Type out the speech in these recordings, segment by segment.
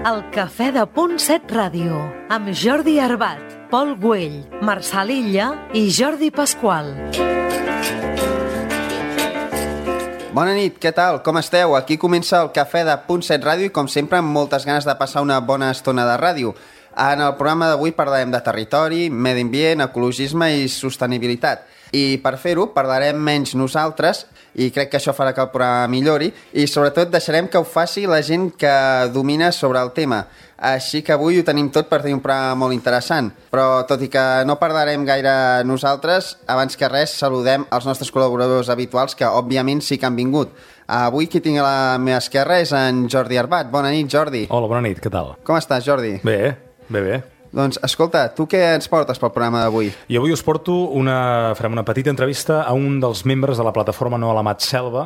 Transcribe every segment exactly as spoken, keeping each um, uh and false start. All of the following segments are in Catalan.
El Cafè de Punt set Ràdio, amb Jordi Arbat, Pol Güell, Marçal Illa i Jordi Pasqual. Bona nit, què tal? Com esteu? Aquí comença el Cafè de Punt set Ràdio i, com sempre, amb moltes ganes de passar una bona estona de ràdio. En el programa d'avui parlarem de territori, medi ambient, ecologisme i sostenibilitat. I per fer-ho parlarem menys nosaltres, i crec que això farà que el programa millori, i sobretot deixarem que ho faci la gent que domina sobre el tema. Així que avui ho tenim tot per tenir un programa molt interessant. Però tot i que no parlarem gaire nosaltres, abans que res saludem els nostres col·laboradors habituals que òbviament sí que han vingut. Avui qui tinc a la meva esquerra és en Jordi Arbat. Bona nit, Jordi. Hola, bona nit, què tal? Com estàs, Jordi? Bé, bé, bé. Doncs, escolta, tu què ens portes pel programa d'avui? I avui us porto una... farem una petita entrevista a un dels membres de la plataforma No a l'Amat Selva,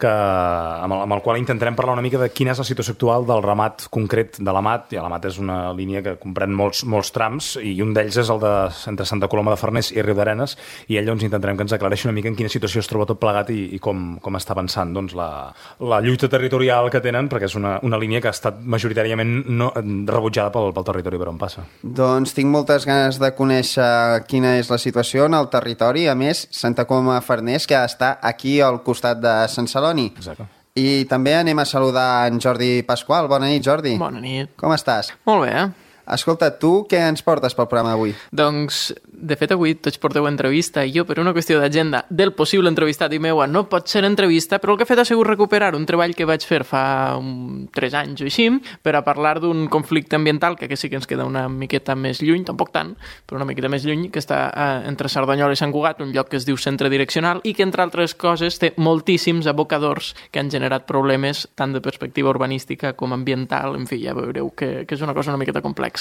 que, amb, el, amb el qual intentarem parlar una mica de quina és la situació actual del ramat concret de l'Amat. I l'Amat és una línia que comprèn molts, molts trams, i un d'ells és el de entre Santa Coloma de Farners i Riudarenes, i ell doncs intentarem que ens aclareixi una mica en quina situació es troba tot plegat i, i com, com està avançant doncs, la, la lluita territorial que tenen, perquè és una, una línia que ha estat majoritàriament no, rebutjada pel, pel territori per on passa. Doncs tinc moltes ganes de conèixer quina és la situació en el territori. A més, Santa Coloma de Farners, que està aquí al costat de Sant Celoni. Exacte. I també anem a saludar en Jordi Pasqual. Bona nit, Jordi. Bona nit. Com estàs? Molt bé, eh? Escolta, tu què ens portes pel programa d'avui? Doncs, de fet, avui tots porteu entrevista i jo, per una qüestió d'agenda del possible entrevistat i meua, no pot ser entrevista, però el que he fet ha sigut recuperar un treball que vaig fer fa un, tres anys o així, per a parlar d'un conflicte ambiental, que aquí sí que ens queda una miqueta més lluny, tampoc tant, però una miqueta més lluny, que està eh, entre Cerdanyola i Sant Cugat, un lloc que es diu Centre Direccional, i que, entre altres coses, té moltíssims abocadors que han generat problemes tant de perspectiva urbanística com ambiental. En fi, ja veureu que, que és una cosa una miqueta complexa.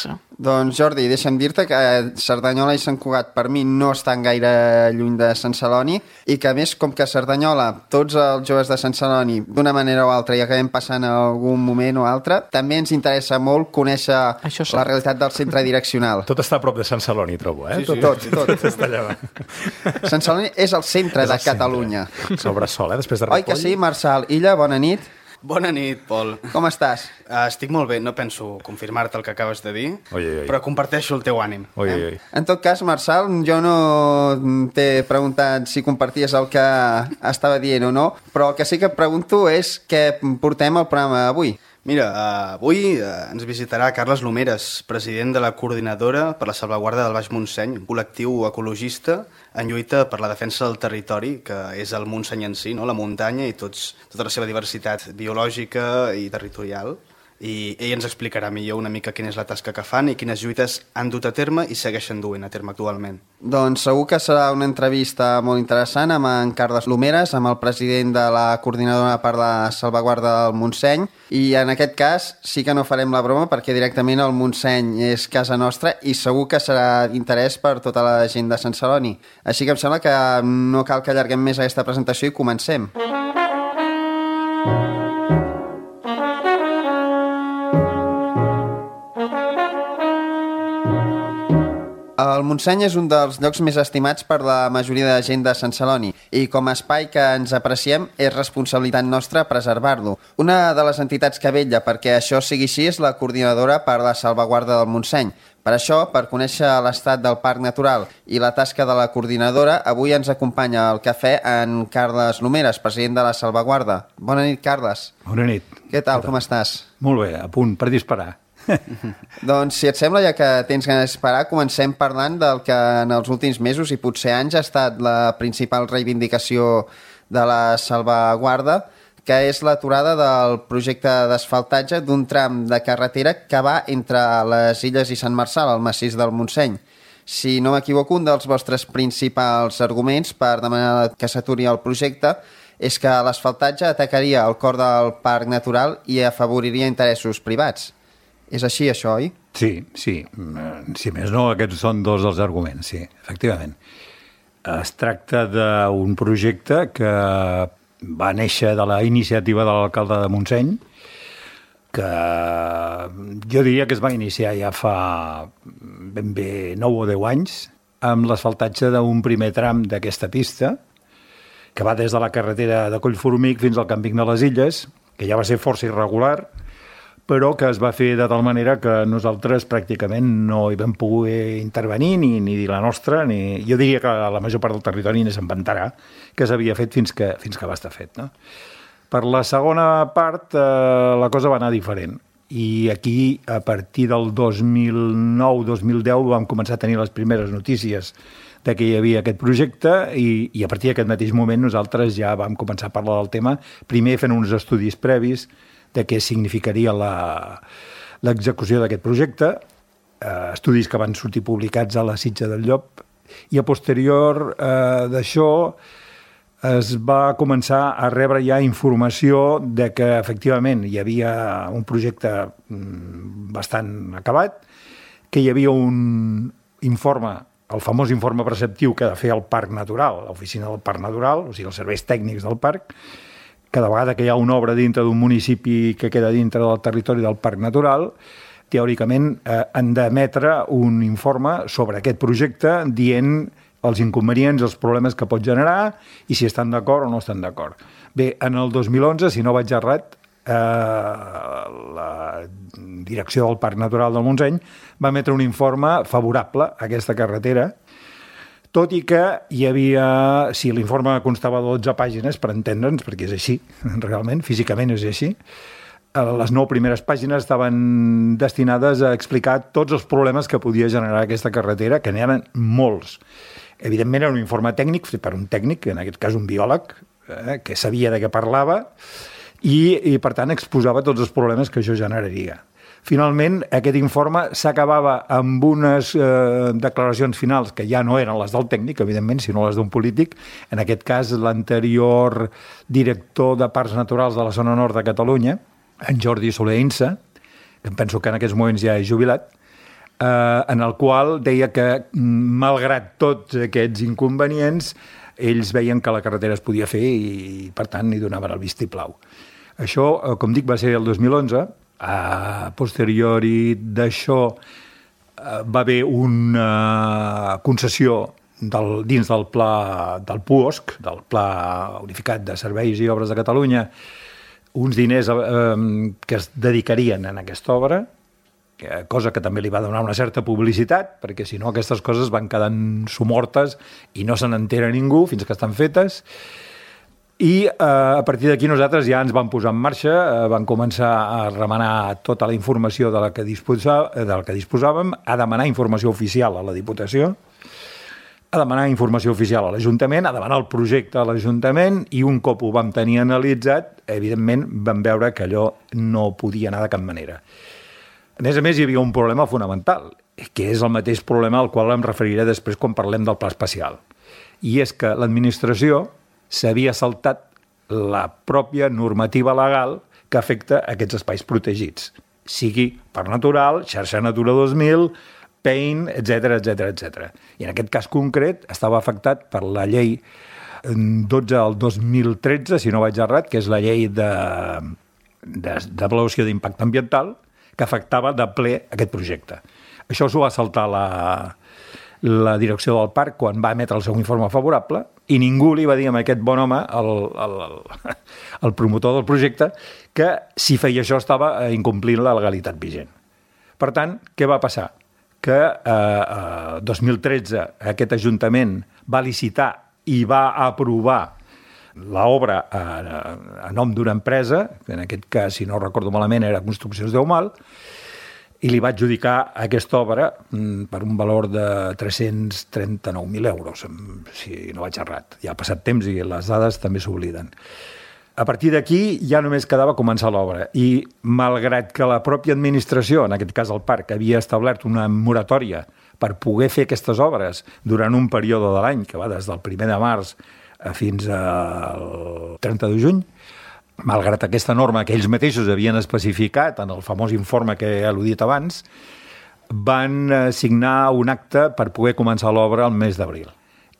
Doncs, Jordi, deixa'm dir-te que Cerdanyola i Sant Cugat per mi no estan gaire lluny de Sant Celoni i que, a més, com que a Cerdanyola tots els joves de Sant Celoni d'una manera o altra hi acabem passant en algun moment o altre, també ens interessa molt conèixer la realitat del centre direccional. Tot està a prop de Sant Celoni, trobo, eh? Sí, sí. Tot, tot. tot. Està allà. Sant Celoni és el centre és el de Catalunya. Sobre sol, eh? Després de Ripoll. Oi que sí, Marçal Illa? Bona nit. Bona nit, Pol. Com estàs? Uh, estic molt bé, no penso confirmar-te el que acabes de dir, oi, oi. però comparteixo el teu ànim. Oi, eh? oi. En tot cas, Marçal, jo no t'he preguntat si comparties el que estava dient o no, però el que sí que et pregunto és què portem al programa d'avui. Mira, uh, avui uh, ens visitarà Carles Lomeres, president de la Coordinadora per la Salvaguarda del Baix Montseny, un col·lectiu ecologista en lluita per la defensa del territori, que és el Montseny en si, no? La muntanya i tots, tota la seva diversitat biològica i territorial. I ell ens explicarà millor una mica quina és la tasca que fan i quines lluites han dut a terme i segueixen duent a terme actualment. Doncs segur que serà una entrevista molt interessant amb en Carles Lomeres, amb el president de la Coordinadora per la Salvaguarda del Montseny, i en aquest cas sí que no farem la broma perquè directament el Montseny és casa nostra i segur que serà d'interès per tota la gent de Sant Celoni. Així que em sembla que no cal que allarguem més aquesta presentació i comencem. El Montseny és un dels llocs més estimats per la majoria de gent de Sant Celoni i com a espai que ens apreciem és responsabilitat nostra preservar-lo. Una de les entitats que vetlla perquè això sigui així és la Coordinadora per la Salvaguarda del Montseny. Per això, per conèixer l'estat del Parc Natural i la tasca de la Coordinadora, avui ens acompanya al cafè en Carles Lomeres, president de la Salvaguarda. Bona nit, Carles. Bona nit. Què tal, com estàs? Molt bé, a punt per disparar. Doncs, si et sembla, ja que tens ganes d'esperar, comencem parlant del que en els últims mesos i potser anys ha estat la principal reivindicació de la Salvaguarda, que és l'aturada del projecte d'asfaltatge d'un tram de carretera que va entre les Illes i Sant Marçal, al massís del Montseny. Si no m'equivoco, un dels vostres principals arguments per demanar que s'aturi el projecte és que l'asfaltatge atacaria el cor del parc natural i afavoriria interessos privats. És així, això, oi? Sí, sí. Si més no, aquests són dos dels arguments, sí, efectivament. Es tracta d'un projecte que va néixer de la iniciativa de l'alcalde de Montseny, que jo diria que es va iniciar ja fa ben bé nou o deu anys, amb l'asfaltatge d'un primer tram d'aquesta pista, que va des de la carretera de Collformic fins al Camping de les Illes, que ja va ser força irregular, però que es va fer de tal manera que nosaltres pràcticament no hi vam poder intervenir ni, ni dir la nostra, ni... jo diria que la major part del territori ni s'inventarà que s'havia fet fins que, fins que va estar fet. No? Per la segona part, eh, la cosa va anar diferent. I aquí, a partir del dos mil nou dos mil deu, vam començar a tenir les primeres notícies de que hi havia aquest projecte i, i a partir d'aquest mateix moment nosaltres ja vam començar a parlar del tema, primer fent uns estudis previs de què significaria l'execució d'aquest projecte, eh, estudis que van sortir publicats a la Sitja del Llop, i a posterior eh, d'això es va començar a rebre ja informació de que efectivament hi havia un projecte bastant acabat, que hi havia un informe, el famós informe preceptiu que ha de fer el Parc Natural, l'oficina del Parc Natural, o sigui, els serveis tècnics del parc. Cada vegada que hi ha una obra dintre d'un municipi que queda dintre del territori del Parc Natural, teòricament eh, han d'emetre un informe sobre aquest projecte dient els inconvenients, els problemes que pot generar i si estan d'acord o no estan d'acord. Bé, en el dos mil onze, si no vaig errat, eh, la direcció del Parc Natural del Montseny va emetre un informe favorable a aquesta carretera, tot i que hi havia, si l'informe constava de dotze pàgines, per entendre'ns, perquè és així, realment, físicament és així, les nou primeres pàgines estaven destinades a explicar tots els problemes que podia generar aquesta carretera, que n'hi eren molts. Evidentment era un informe tècnic, fet per un tècnic, en aquest cas un biòleg, eh, que sabia de què parlava, i, i per tant exposava tots els problemes que això generaria. Finalment, aquest informe s'acabava amb unes eh, declaracions finals que ja no eren les del tècnic, evidentment, sinó les d'un polític. En aquest cas, l'anterior director de Parcs Naturals de la zona nord de Catalunya, en Jordi Soler Insa, que em penso que en aquests moments ja és jubilat, eh, en el qual deia que, malgrat tots aquests inconvenients, ells veien que la carretera es podia fer i, per tant, hi donaven el vistiplau. Això, eh, com dic, va ser el dos mil onze. A posteriori d'això va haver una concessió del, dins del pla del P U O S C, del Pla Unificat de Serveis i Obres de Catalunya, uns diners eh, que es dedicarien a aquesta obra, cosa que també li va donar una certa publicitat, perquè si no aquestes coses van quedant somortes i no se n'entera ningú fins que estan fetes. I eh, a partir d'aquí nosaltres ja ens vam posar en marxa, eh, vam començar a remenar tota la informació de la que, disposa, de la que disposàvem, a demanar informació oficial a la Diputació, a demanar informació oficial a l'Ajuntament, a demanar el projecte a l'Ajuntament, i un cop ho vam tenir analitzat, evidentment vam veure que allò no podia anar de cap manera. A més a més, hi havia un problema fonamental, que és el mateix problema al qual em referiré després quan parlem del pla especial. I és que l'administració s'havia saltat la pròpia normativa legal que afecta aquests espais protegits, sigui Parc Natural, Xarxa Natura dos mil, P E I N, etcètera, etcètera, etcètera. I en aquest cas concret estava afectat per la llei dotze del dos mil tretze, si no vaig errat, que és la llei d'avaluació d'impacte ambiental, que afectava de ple aquest projecte. Això s'ho va saltar la, la direcció del parc quan va emetre el seu informe favorable, i ningú li va dir a aquest bon home, el, el, el, el promotor del projecte, que si feia això estava incomplint la legalitat vigent. Per tant, què va passar? Que eh, eh, dos mil tretze aquest Ajuntament va licitar i va aprovar l'obra a, a nom d'una empresa, en aquest cas, si no recordo malament, era Construccions Deumal, i li va adjudicar aquesta obra per un valor de tres-cents trenta-nou mil euros, si no vaig errat. Ja ha passat temps i les dades també s'obliden. A partir d'aquí ja només quedava començar l'obra i, malgrat que la pròpia administració, en aquest cas el parc, havia establert una moratòria per poder fer aquestes obres durant un període de l'any, que va des del primer de març fins al trenta de juny, malgrat aquesta norma que ells mateixos havien especificat en el famós informe que he al·ludit abans, van signar un acte per poder començar l'obra el mes d'abril.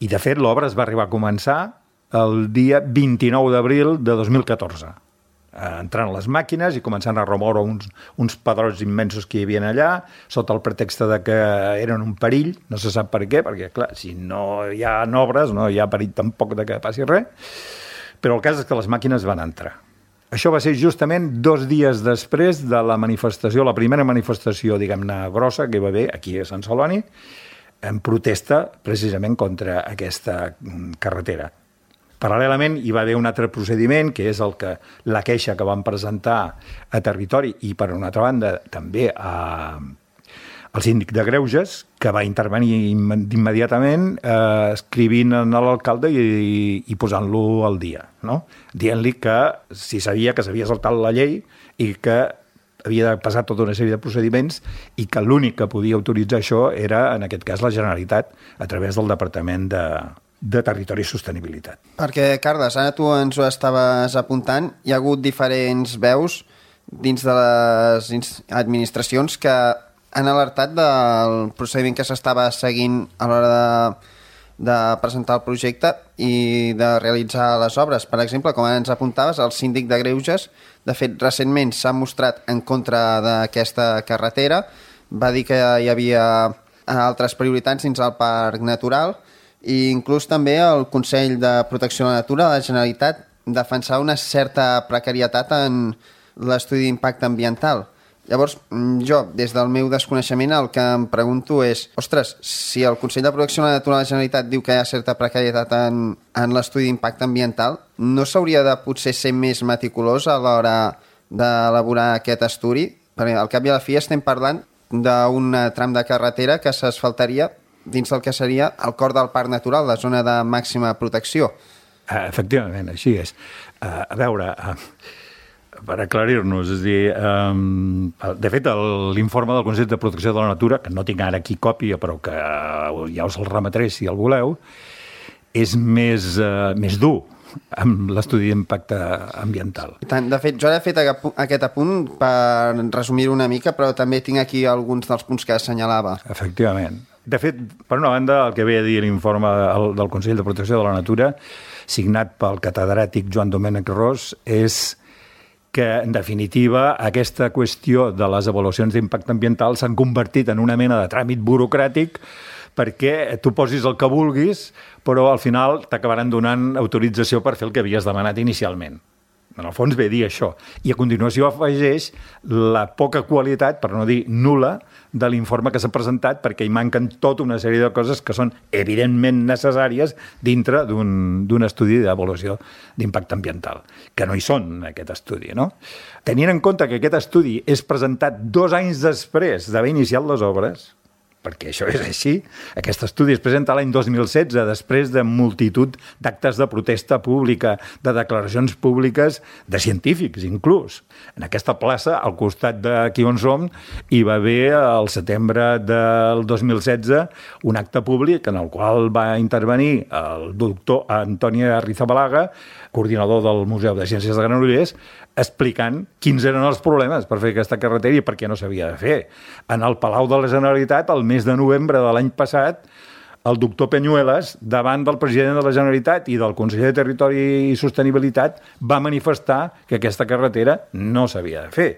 I, de fet, l'obra es va arribar a començar el dia vint-i-nou d'abril de dos mil catorze, entrant les màquines i començant a remoure uns, uns pedrots immensos que hi havia allà, sota el pretext de que eren un perill, no se sap per què, perquè, clar, si no hi ha obres, no hi ha perill tampoc de que passi res, però el cas és que les màquines van entrar. Això va ser justament dos dies després de la manifestació, la primera manifestació, diguem-ne, grossa que hi va haver aquí a Sant Celoni, en protesta precisament contra aquesta carretera. Paral·lelament hi va haver un altre procediment, que és el que la queixa que van presentar a Territori i, per una altra banda, també a, al síndic de Greuges, que va intervenir immediatament eh, escrivint a l'alcalde i, i posant-lo al dia, no? Dient-li que si sabia que s'havia saltat la llei i que havia de passar tota una sèrie de procediments i que l'únic que podia autoritzar això era, en aquest cas, la Generalitat, a través del Departament de de Territori i Sostenibilitat. Perquè, Carles, ara tu ens ho estaves apuntant, hi ha hagut diferents veus dins de les administracions que han alertat del procediment que s'estava seguint a l'hora de, de presentar el projecte i de realitzar les obres. Per exemple, com ens apuntaves, el síndic de Greuges, de fet, recentment s'ha mostrat en contra d'aquesta carretera, va dir que hi havia altres prioritats dins el Parc Natural, i inclús també el Consell de Protecció de la Natura de la Generalitat defensar una certa precarietat en l'estudi d'impacte ambiental. Llavors, jo, des del meu desconeixement, el que em pregunto és, ostres, si el Consell de Protecció de la Natura de la Generalitat diu que hi ha certa precarietat en, en l'estudi d'impacte ambiental, no s'hauria de potser ser més meticulós a l'hora d'elaborar aquest estudi? Perquè al cap i a la fi estem parlant d'un tram de carretera que s'asfaltaria dins del que seria el cor del Parc Natural, la zona de màxima protecció. Efectivament, així és. A veure, per aclarir-nos, és a dir, de fet, l'informe del Consell de Protecció de la Natura, que no tinc ara aquí còpia, però que ja us el remetré si el voleu, és més, més dur amb l'estudi d'impacte ambiental. Tant, de fet, jo he fet aquest apunt per resumir-ho una mica, però també tinc aquí alguns dels punts que assenyalava. Efectivament. De fet, per una banda, el que ve a dir l'informe del Consell de Protecció de la Natura, signat pel catedràtic Joan Domènec Ros, és que, en definitiva, aquesta qüestió de les avaluacions d'impacte ambiental s'han convertit en una mena de tràmit burocràtic perquè tu posis el que vulguis, però al final t'acabaran donant autorització per fer el que havies demanat inicialment. En el fons ve a dir això. I a continuació afegeix la poca qualitat, per no dir nul·la, de l'informe que s'ha presentat, perquè hi manquen tota una sèrie de coses que són evidentment necessàries dintre d'un estudi d'avaluació d'impacte ambiental, que no hi són en aquest estudi, no? Tenint en compte que aquest estudi és presentat dos anys després d'haver iniciat les obres, perquè això és així. Aquest estudi es presenta l'any dos mil setze, després de multitud d'actes de protesta pública, de declaracions públiques, de científics inclús. En aquesta plaça, al costat d'aquí on som, hi va haver al setembre del dos mil setze un acte públic en el qual va intervenir el doctor Antoni Arrizabalaga, coordinador del Museu de Ciències de Granollers, explicant quins eren els problemes per fer aquesta carretera i per què no s'havia de fer. En el Palau de la Generalitat, el mes de novembre de l'any passat, el doctor Peñuelas, davant del president de la Generalitat i del conseller de Territori i Sostenibilitat, va manifestar que aquesta carretera no s'havia de fer.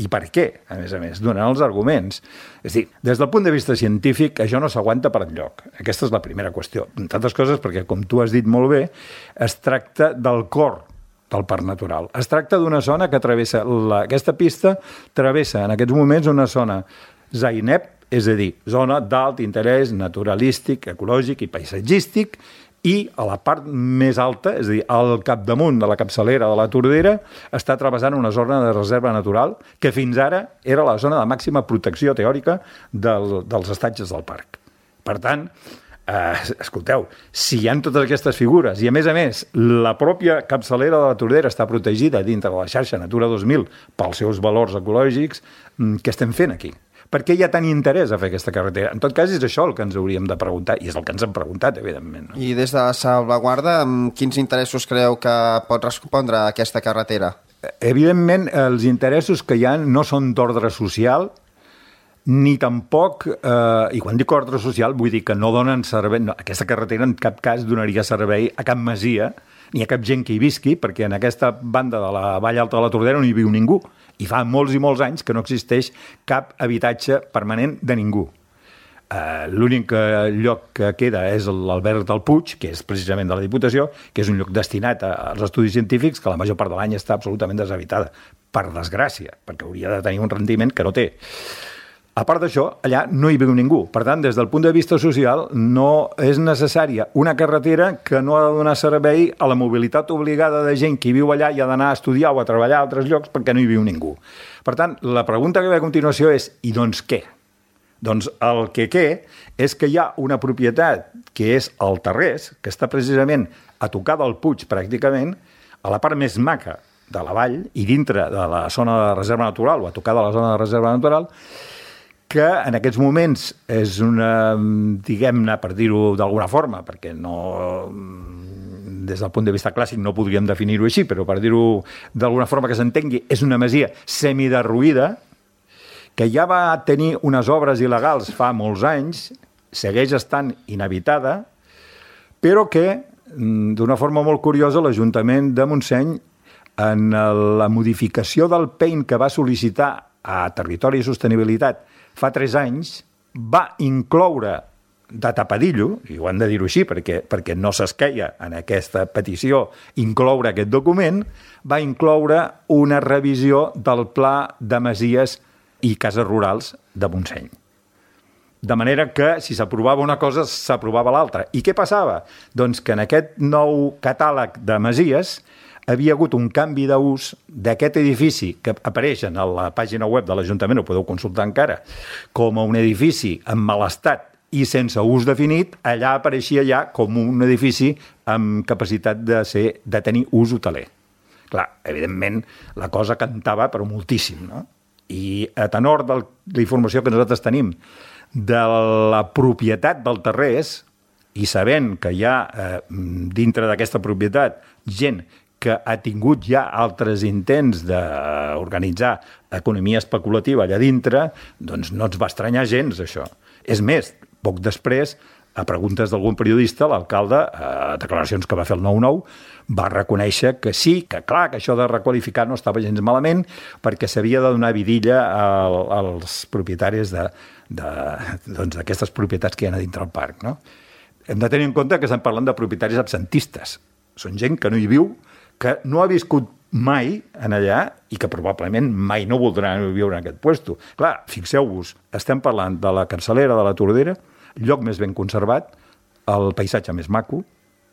I per què, a més a més, donant els arguments. És a dir, des del punt de vista científic, això no s'aguanta per enlloc. Aquesta és la primera qüestió. Entre altres coses, perquè, com tu has dit molt bé, es tracta del cor del Parc Natural. Es tracta d'una zona que travessa, la, aquesta pista travessa en aquests moments una zona ZAINEP, és a dir, zona d'alt interès naturalístic, ecològic i paisatgístic, i a la part més alta, és a dir, al capdamunt de la capçalera de la Tordera, està travessant una zona de reserva natural que fins ara era la zona de màxima protecció teòrica del, dels estatges del parc. Per tant, Uh, escolteu, si hi ha totes aquestes figures i, a més a més, la pròpia capçalera de la Tordera està protegida dintre de la xarxa Natura dos mil pels seus valors ecològics, què estem fent aquí? Per què hi ha tant interès a fer aquesta carretera? En tot cas, és això el que ens hauríem de preguntar, i és el que ens hem preguntat, evidentment. No? I des de la salvaguarda, quins interessos creu que pot respondre aquesta carretera? Evidentment, els interessos que hi ha no són d'ordre social, ni tampoc, eh, i quan dic ordre social, vull dir que no donen servei, no, aquesta carretera en cap cas donaria servei a cap masia, ni a cap gent que hi visqui, perquè en aquesta banda de la Vall Alta de la Tordera no hi viu ningú, i fa molts i molts anys que no existeix cap habitatge permanent de ningú. Uh, l'únic lloc que queda és l'Albert del Puig, que és precisament de la Diputació, que és un lloc destinat als estudis científics, que la major part de l'any està absolutament deshabitada, per desgràcia, perquè hauria de tenir un rendiment que no té. A part d'això, allà no hi viu ningú. Per tant, des del punt de vista social, no és necessària una carretera que no ha de donar servei a la mobilitat obligada de gent que viu allà i ha d'anar a estudiar o a treballar a altres llocs perquè no hi viu ningú. Per tant, la pregunta que ve a continuació és, i doncs què? Doncs el que què és que hi ha una propietat que és el Tarrés, que està precisament a tocar del Puig pràcticament, a la part més maca de la vall i dintre de la zona de reserva natural o a tocar de la zona de reserva natural, que en aquests moments és una, diguem-ne, per dir-ho d'alguna forma, perquè no, des del punt de vista clàssic no podríem definir-ho així, però per dir-ho d'alguna forma que s'entengui, és una masia semiderruïda, que ja va tenir unes obres il·legals fa molts anys, segueix estant inhabitada, però que, d'una forma molt curiosa, l'Ajuntament de Montseny, en la modificació del P E I N que va sol·licitar a Territori i Sostenibilitat fa tres anys, va incloure de tapadillo, i ho han de dir-ho així perquè, perquè no s'esqueia en aquesta petició incloure aquest document, va incloure una revisió del Pla de Masies i Cases Rurals de Montseny. De manera que, si s'aprovava una cosa, s'aprovava l'altra. I què passava? Doncs que en aquest nou catàleg de masies havia hagut un canvi d'ús d'aquest edifici que apareix a la pàgina web de l'Ajuntament, ho podeu consultar encara, com a un edifici en mal estat i sense ús definit, allà apareixia ja com un edifici amb capacitat de, ser, de tenir ús hoteler. Clar, evidentment, la cosa cantava però moltíssim, no? I a tenor de la informació que nosaltres tenim de la propietat del Tarrés, i sabent que hi ha eh, dintre d'aquesta propietat gent que ha tingut ja altres intents d'organitzar economia especulativa allà dintre, doncs no ens va estranyar gens, això. És més, poc després, a preguntes d'algun periodista, l'alcalde, a declaracions que va fer el nou nou, va reconèixer que sí, que clar, que això de requalificar no estava gens malament, perquè s'havia de donar vidilla als propietaris d'aquestes doncs, propietats que hi ha a dintre del parc. No? Hem de tenir en compte que estem parlant de propietaris absentistes. Són gent que no hi viu, que no ha viscut mai en allà i que probablement mai no voldrà viure en aquest puesto. Clar, fixeu-vos, estem parlant de la capçalera de la Tordera, lloc més ben conservat, el paisatge més maco,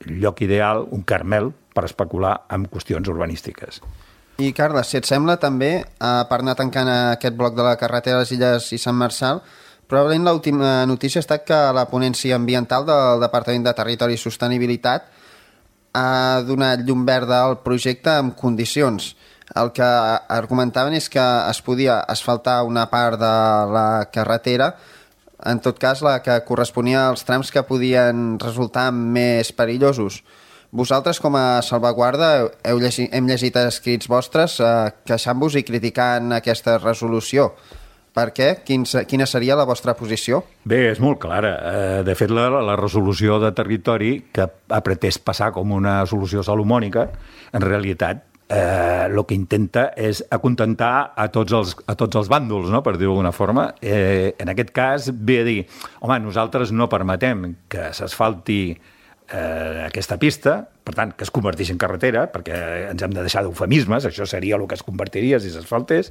lloc ideal, un Carmel, per especular amb qüestions urbanístiques. I, Carles, si et sembla, també, per anar tancant aquest bloc de la carretera de les Illes i Sant Marçal, probablement l'última notícia ha estat que la ponència ambiental del Departament de Territori i Sostenibilitat ha donat llum verda al projecte en condicions. El que argumentaven és que es podia asfaltar una part de la carretera, en tot cas la que corresponia als trams que podien resultar més perillosos. Vosaltres, com a salvaguarda, heu llegit, hem llegit escrits vostres eh, queixant-vos i criticant aquesta resolució. Per què? Quin, quina seria la vostra posició? Bé, és molt clara. De fet, la, la resolució de territori, que ha pretès passar com una solució salomònica, en realitat eh, el que intenta és acontentar a tots els, a tots els bàndols, no? Per dir-ho d'alguna forma. Eh, en aquest cas, ve a dir, home, nosaltres no permetem que s'asfalti eh, aquesta pista, per tant, que es converteixi en carretera, perquè ens hem de deixar d'eufemismes, això seria el que es convertiria si s'asfaltés,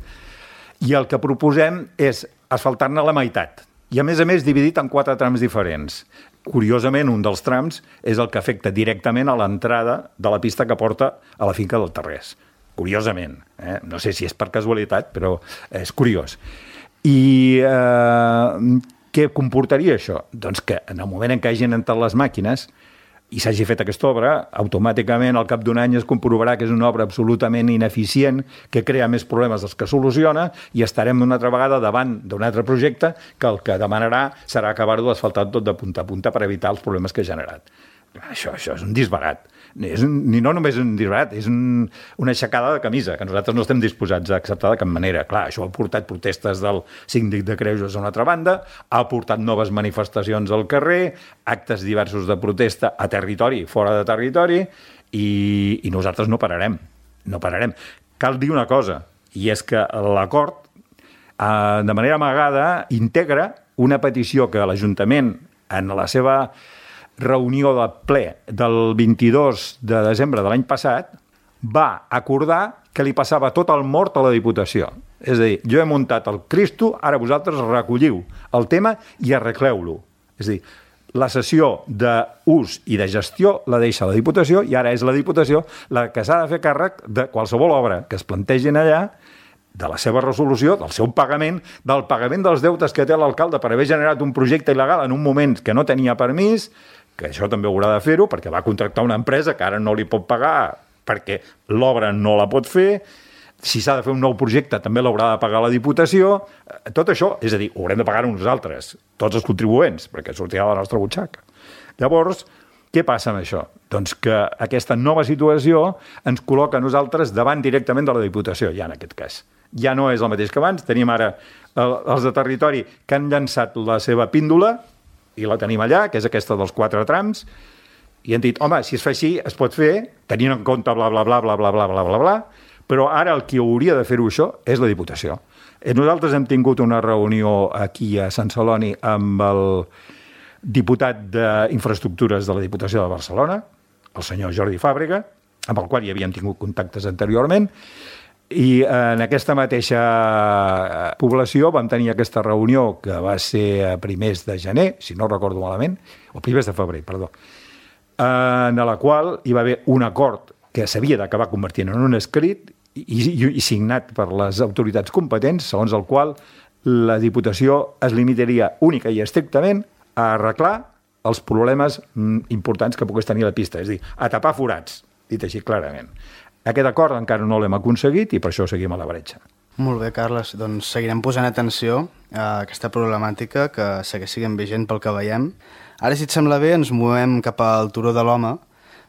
i el que proposem és asfaltar-ne la meitat, i a més a més dividit en quatre trams diferents. Curiosament, un dels trams és el que afecta directament a l'entrada de la pista que porta a la finca del Tarrés. Curiosament. Eh? No sé si és per casualitat, però és curiós. I eh, què comportaria això? Doncs que en el moment en què hagin entrat les màquines i s'hagi fet aquesta obra, automàticament al cap d'un any es comprovarà que és una obra absolutament ineficient, que crea més problemes dels que soluciona, i estarem una altra vegada davant d'un altre projecte que el que demanarà serà acabar-ho d'asfaltar tot de punta a punta per evitar els problemes que ha generat. Això, això és un disbarat. És un, ni no només un disbarat, és un, una aixecada de camisa, que nosaltres no estem disposats a acceptar de cap manera. Clar, això ha portat protestes del síndic de Greuges a una altra banda, ha portat noves manifestacions al carrer, actes diversos de protesta a territori, fora de territori, i, i nosaltres no pararem. No pararem. Cal dir una cosa, i és que l'acord, eh, de manera amagada, integra una petició que l'Ajuntament, en la seva reunió de ple del vint-i-dos de desembre de l'any passat, va acordar que li passava tot el mort a la Diputació. És a dir, jo he muntat el Cristo, ara vosaltres recolliu el tema i arregleu-lo. És a dir, la sessió d'ús i de gestió la deixa la Diputació i ara és la Diputació la que s'ha de fer càrrec de qualsevol obra que es plantegin allà, de la seva resolució, del seu pagament, del pagament dels deutes que té l'alcalde per haver generat un projecte il·legal en un moment que no tenia permís, que això també haurà de fer-ho perquè va contractar una empresa que ara no li pot pagar perquè l'obra no la pot fer, si s'ha de fer un nou projecte també l'haurà de pagar la Diputació, tot això, és a dir, ho haurem de pagar nosaltres, tots els contribuents, perquè sortirà de la nostra butxaca. Llavors, què passa amb això? Doncs que aquesta nova situació ens col·loca a nosaltres davant directament de la Diputació, ja en aquest cas. Ja no és el mateix que abans, tenim ara els de territori que han llançat la seva píndola, i la tenim allà, que és aquesta dels quatre trams, i han dit, home, si es fa així, es pot fer, tenint en compte bla, bla, bla, bla, bla, bla, bla, bla, bla, però ara el qui hauria de fer-ho això és la Diputació. Nosaltres hem tingut una reunió aquí a Sant Celoni amb el diputat d'Infraestructures de la Diputació de Barcelona, el senyor Jordi Fàbrega, amb el qual ja havíem tingut contactes anteriorment, i en aquesta mateixa població vam tenir aquesta reunió que va ser a primers de gener, si no recordo malament, o primers de febrer, perdó, en la qual hi va haver un acord que s'havia d'acabar convertint en un escrit i, i, i signat per les autoritats competents, segons el qual la Diputació es limitaria única i estrictament a arreglar els problemes importants que pogués tenir la pista, és a dir, a tapar forats, dit així clarament. Aquest acord encara no l'hem aconseguit i per això seguim a la bretxa. Molt bé, Carles. Doncs seguirem posant atenció a aquesta problemàtica que segueix sent vigent pel que veiem. Ara, si et sembla bé, ens movem cap al Turó de l'Home,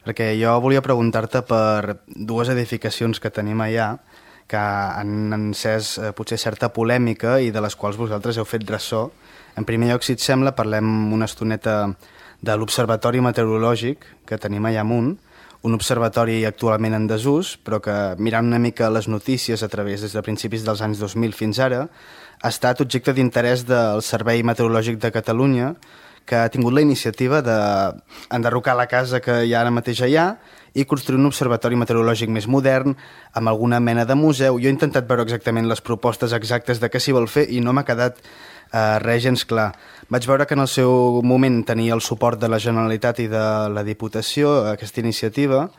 perquè jo volia preguntar-te per dues edificacions que tenim allà que han encès eh, potser certa polèmica i de les quals vosaltres heu fet ressò. En primer lloc, si et sembla, parlem una estoneta de l'Observatori Meteorològic que tenim allà amunt, un observatori actualment en desús, però que, mirant una mica les notícies a través des de principis dels anys dos mil fins ara, ha estat objecte d'interès del Servei Meteorològic de Catalunya, que ha tingut la iniciativa d'enderrocar la casa que hi ha ara mateix allà i construir un observatori meteorològic més modern, amb alguna mena de museu. Jo he intentat veure exactament les propostes exactes de què s'hi vol fer i no m'ha quedat eh, res gens clar. Vaig veure que en el seu moment tenia el suport de la Generalitat i de la Diputació aquesta iniciativa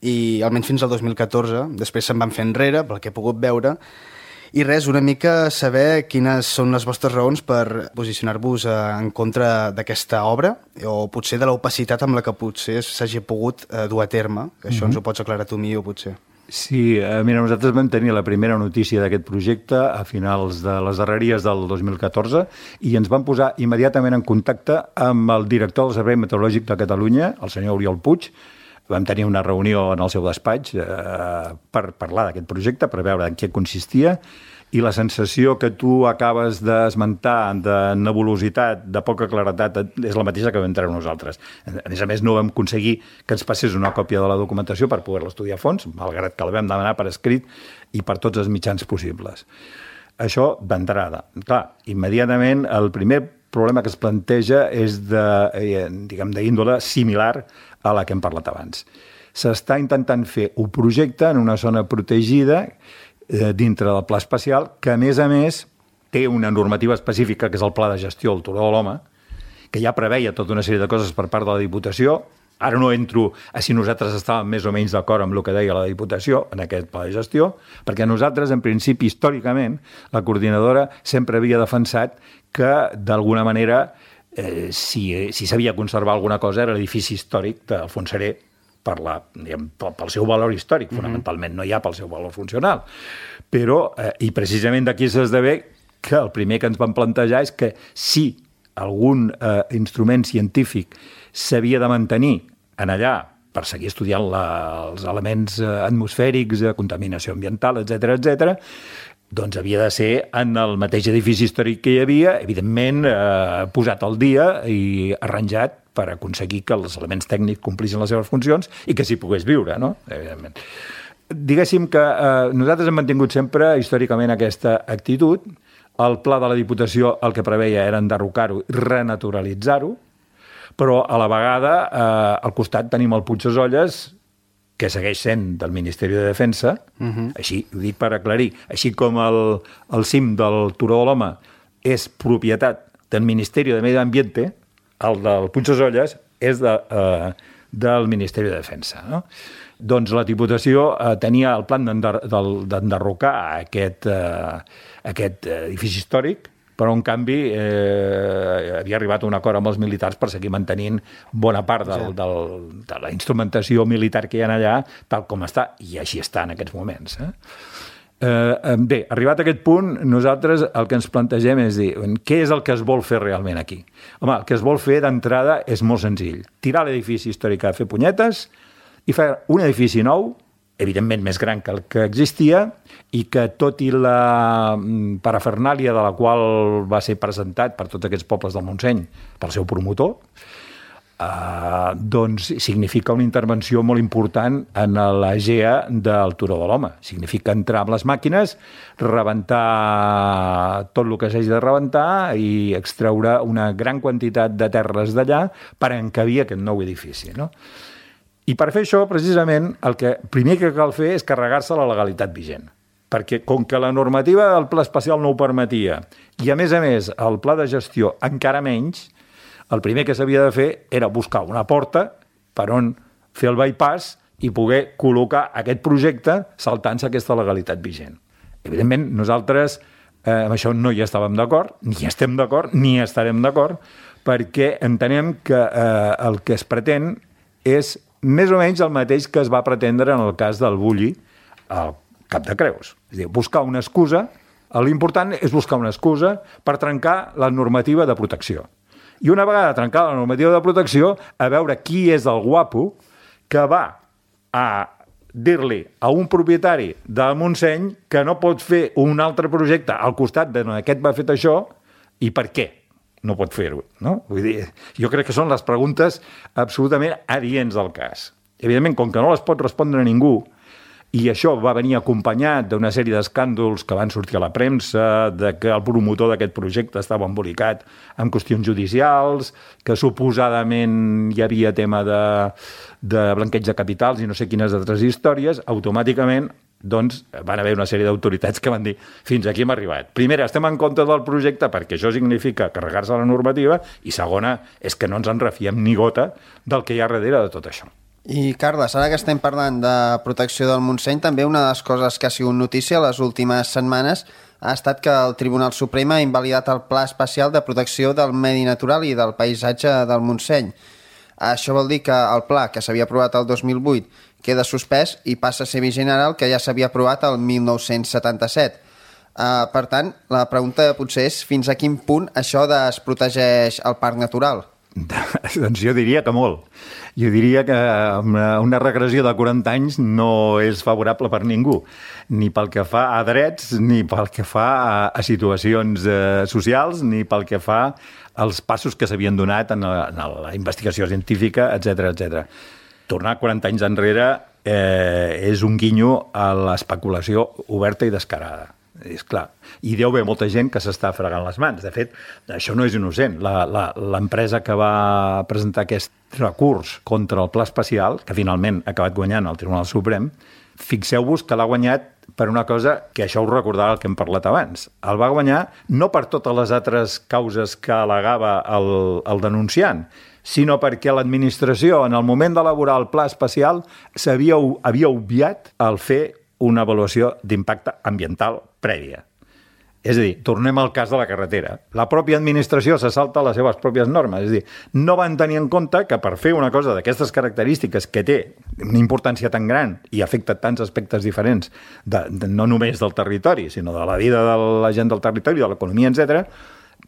i almenys fins al dos mil catorze, després se'n van fer enrere, pel que he pogut veure, i res, una mica saber quines són les vostres raons per posicionar-vos en contra d'aquesta obra o potser de l'opacitat amb la que potser s'hagi pogut dur a terme, que això mm-hmm. ens ho pots aclarar tu millor potser. Sí, eh, mira, nosaltres vam tenir la primera notícia d'aquest projecte a finals de les darreries del dos mil catorze i ens vam posar immediatament en contacte amb el director del Servei Meteorològic de Catalunya, el senyor Oriol Puig. Vam tenir una reunió en el seu despatx eh, per parlar d'aquest projecte, per veure en què consistia, i la sensació que tu acabes d'esmentar de nebulositat, de poca claretat, és la mateixa que vam treure nosaltres. A més a més, no vam aconseguir que ens passés una còpia de la documentació per poder-la estudiar a fons, malgrat que la vam demanar per escrit i per tots els mitjans possibles. Això d'entrada. Clar, immediatament el primer problema que es planteja és de, eh, diguem, d'índole similar a la que hem parlat abans. S'està intentant fer un projecte en una zona protegida eh, dintre del pla especial que, a més a més, té una normativa específica, que és el Pla de Gestió del Turó de l'Home, que ja preveia tota una sèrie de coses per part de la Diputació. Ara no entro a si nosaltres estàvem més o menys d'acord amb el que deia la Diputació en aquest pla de gestió, perquè nosaltres, en principi, històricament, la coordinadora sempre havia defensat que, d'alguna manera, eh, si si s'havia de conservar alguna cosa era l'edifici històric del Fontserè per la, diguem, pel seu valor històric, mm-hmm. fonamentalment, no ja pel seu valor funcional. Però, eh, i precisament d'aquí s'esdevé que el primer que ens van plantejar és que si algun eh, instrument científic s'havia de mantenir en allà per seguir estudiant la, els elements atmosfèrics, contaminació ambiental, etcètera, etcètera, doncs havia de ser en el mateix edifici històric que hi havia, evidentment eh, posat al dia i arranjat per aconseguir que els elements tècnics complissin les seves funcions i que s'hi pogués viure, no? Evidentment. Diguéssim que eh, nosaltres hem mantingut sempre històricament aquesta actitud. el pla de la Diputació el que preveia era enderrocar-ho i renaturalitzar-ho, però a la vegada eh, al costat tenim el Puigdesolles, que segueix sent del Ministeri de Defensa, uh-huh. així ho dic per aclarir, així com el, el cim del Turó de l'Home és propietat del Ministeri de Medi Ambiente, el del Puigdesolles és de, eh, del Ministeri de Defensa, no? Doncs la Diputació eh, tenia el plan d'enderrocar aquest, eh, aquest edifici històric, però en canvi eh, havia arribat a un acord amb els militars per seguir mantenint bona part del, del, de la instrumentació militar que hi ha allà, tal com està, i així està en aquests moments. Eh? Eh, bé, arribat a aquest punt, nosaltres el que ens plantegem és dir, què és el que es vol fer realment aquí? Home, el que es vol fer d'entrada és molt senzill. Tirar l'edifici històric a fer punyetes i fer un edifici nou, evidentment més gran que el que existia, i que tot i la parafernàlia de la qual va ser presentat per tots aquests pobles del Montseny, pel seu promotor, eh, doncs significa una intervenció molt important en la G E A del Turó de l'Home. Significa entrar amb les màquines, rebentar tot el que s'hagi de rebentar i extreure una gran quantitat de terres d'allà per encabir aquest nou edifici, no? I per fer això, precisament, el que primer que cal fer és carregar-se la legalitat vigent. Perquè com que la normativa del pla especial no ho permetia, i a més a més el pla de gestió encara menys, el primer que s'havia de fer era buscar una porta per on fer el bypass i poder col·locar aquest projecte saltant-se aquesta legalitat vigent. Evidentment, nosaltres eh, amb això no hi estàvem d'acord, ni estem d'acord, ni estarem d'acord, perquè entenem que eh, el que es pretén és més o menys el mateix que es va pretendre en el cas del Bulli al Cap de Creus. És a dir, buscar una excusa, l'important és buscar una excusa per trencar la normativa de protecció. I una vegada trencada la normativa de protecció, a veure qui és el guapo que va a dir-li a un propietari del Montseny que no pot fer un altre projecte al costat de aquest va fet això i per què no pot fer-ho, no? Vull dir, jo crec que són les preguntes absolutament adients del cas. Evidentment, com que no les pot respondre ningú, i això va venir acompanyat d'una sèrie d'escàndols que van sortir a la premsa, de que el promotor d'aquest projecte estava embolicat en qüestions judicials, que suposadament hi havia tema de, de blanqueig de capitals i no sé quines altres històries, automàticament doncs van haver una sèrie d'autoritats que van dir fins aquí hem arribat. Primera, estem en contra del projecte perquè això significa carregar-se la normativa i segona, és que no ens en refiem ni gota del que hi ha darrere de tot això. I Carles, ara que estem parlant de protecció del Montseny, també una de les coses que ha sigut notícia les últimes setmanes ha estat que el Tribunal Suprem ha invalidat el Pla Especial de Protecció del Medi Natural i del Paisatge del Montseny. Això vol dir que el pla, que s'havia aprovat el dos mil vuit, queda suspès i passa a ser vigent ara el que ja s'havia aprovat el mil nou-cents setanta-set. Uh, per tant, la pregunta potser és fins a quin punt això desprotegeix el parc natural? Doncs jo diria que molt. Jo diria que una regressió de quaranta anys no és favorable per ningú, ni pel que fa a drets, ni pel que fa a, a situacions eh, socials, ni pel que fa als passos que s'havien donat en la, en la investigació científica, etcètera, etcètera. Tornar quaranta anys enrere eh, és un guinyo a l'especulació oberta i descarada. És clar. I deu haver molta gent que s'està fregant les mans. De fet, això no és innocent. L'empresa que va presentar aquest recurs contra el pla especial, que finalment ha acabat guanyant al Tribunal Suprem, fixeu-vos que l'ha guanyat per una cosa que això us recordava el que hem parlat abans. El va guanyar no per totes les altres causes que al·legava el, el denunciant, sinó perquè l'administració, en el moment d'elaborar el pla especial, havia, havia obviat el fer una avaluació d'impacte ambiental prèvia. És a dir, tornem al cas de la carretera. La pròpia administració se salta les seves pròpies normes. És a dir, no van tenir en compte que per fer una cosa d'aquestes característiques que té una importància tan gran i afecta tants aspectes diferents, de, de, no només del territori, sinó de la vida de la gent del territori, de l'economia, etcètera,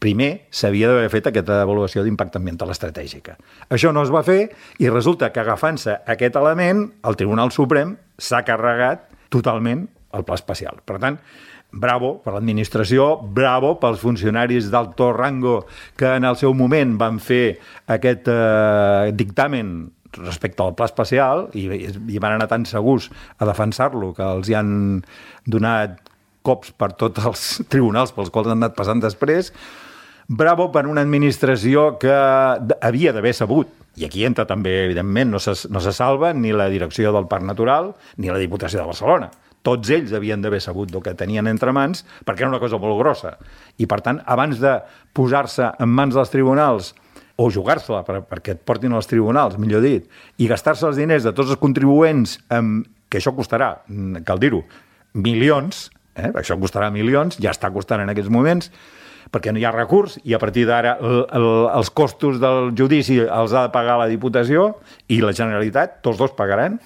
primer s'havia d'haver fet aquesta avaluació d'impacte ambiental estratègica. Això no es va fer i resulta que agafant-se aquest element, el Tribunal Suprem s'ha carregat totalment el pla especial. Per tant, bravo per l'administració, bravo pels funcionaris d'alto rango que en el seu moment van fer aquest eh, dictamen respecte al pla especial i, i van anar tan segurs a defensar-lo que els hi han donat cops per tots els tribunals pels quals han anat passant després. Bravo per una administració que havia d'haver sabut, i aquí entra també, evidentment, no se, no se salva ni la direcció del Parc Natural ni la Diputació de Barcelona. Tots ells havien d'haver sabut el que tenien entre mans, perquè era una cosa molt grossa. I, per tant, abans de posar-se en mans dels tribunals, o jugar-se-la per, perquè et portin als tribunals, millor dit, i gastar-se els diners de tots els contribuents, amb, que això costarà, cal dir-ho, milions, eh? Això costarà milions, ja està costant en aquests moments, perquè no hi ha recurs, i a partir d'ara el, el, els costos del judici els ha de pagar la Diputació i la Generalitat, tots dos pagaran.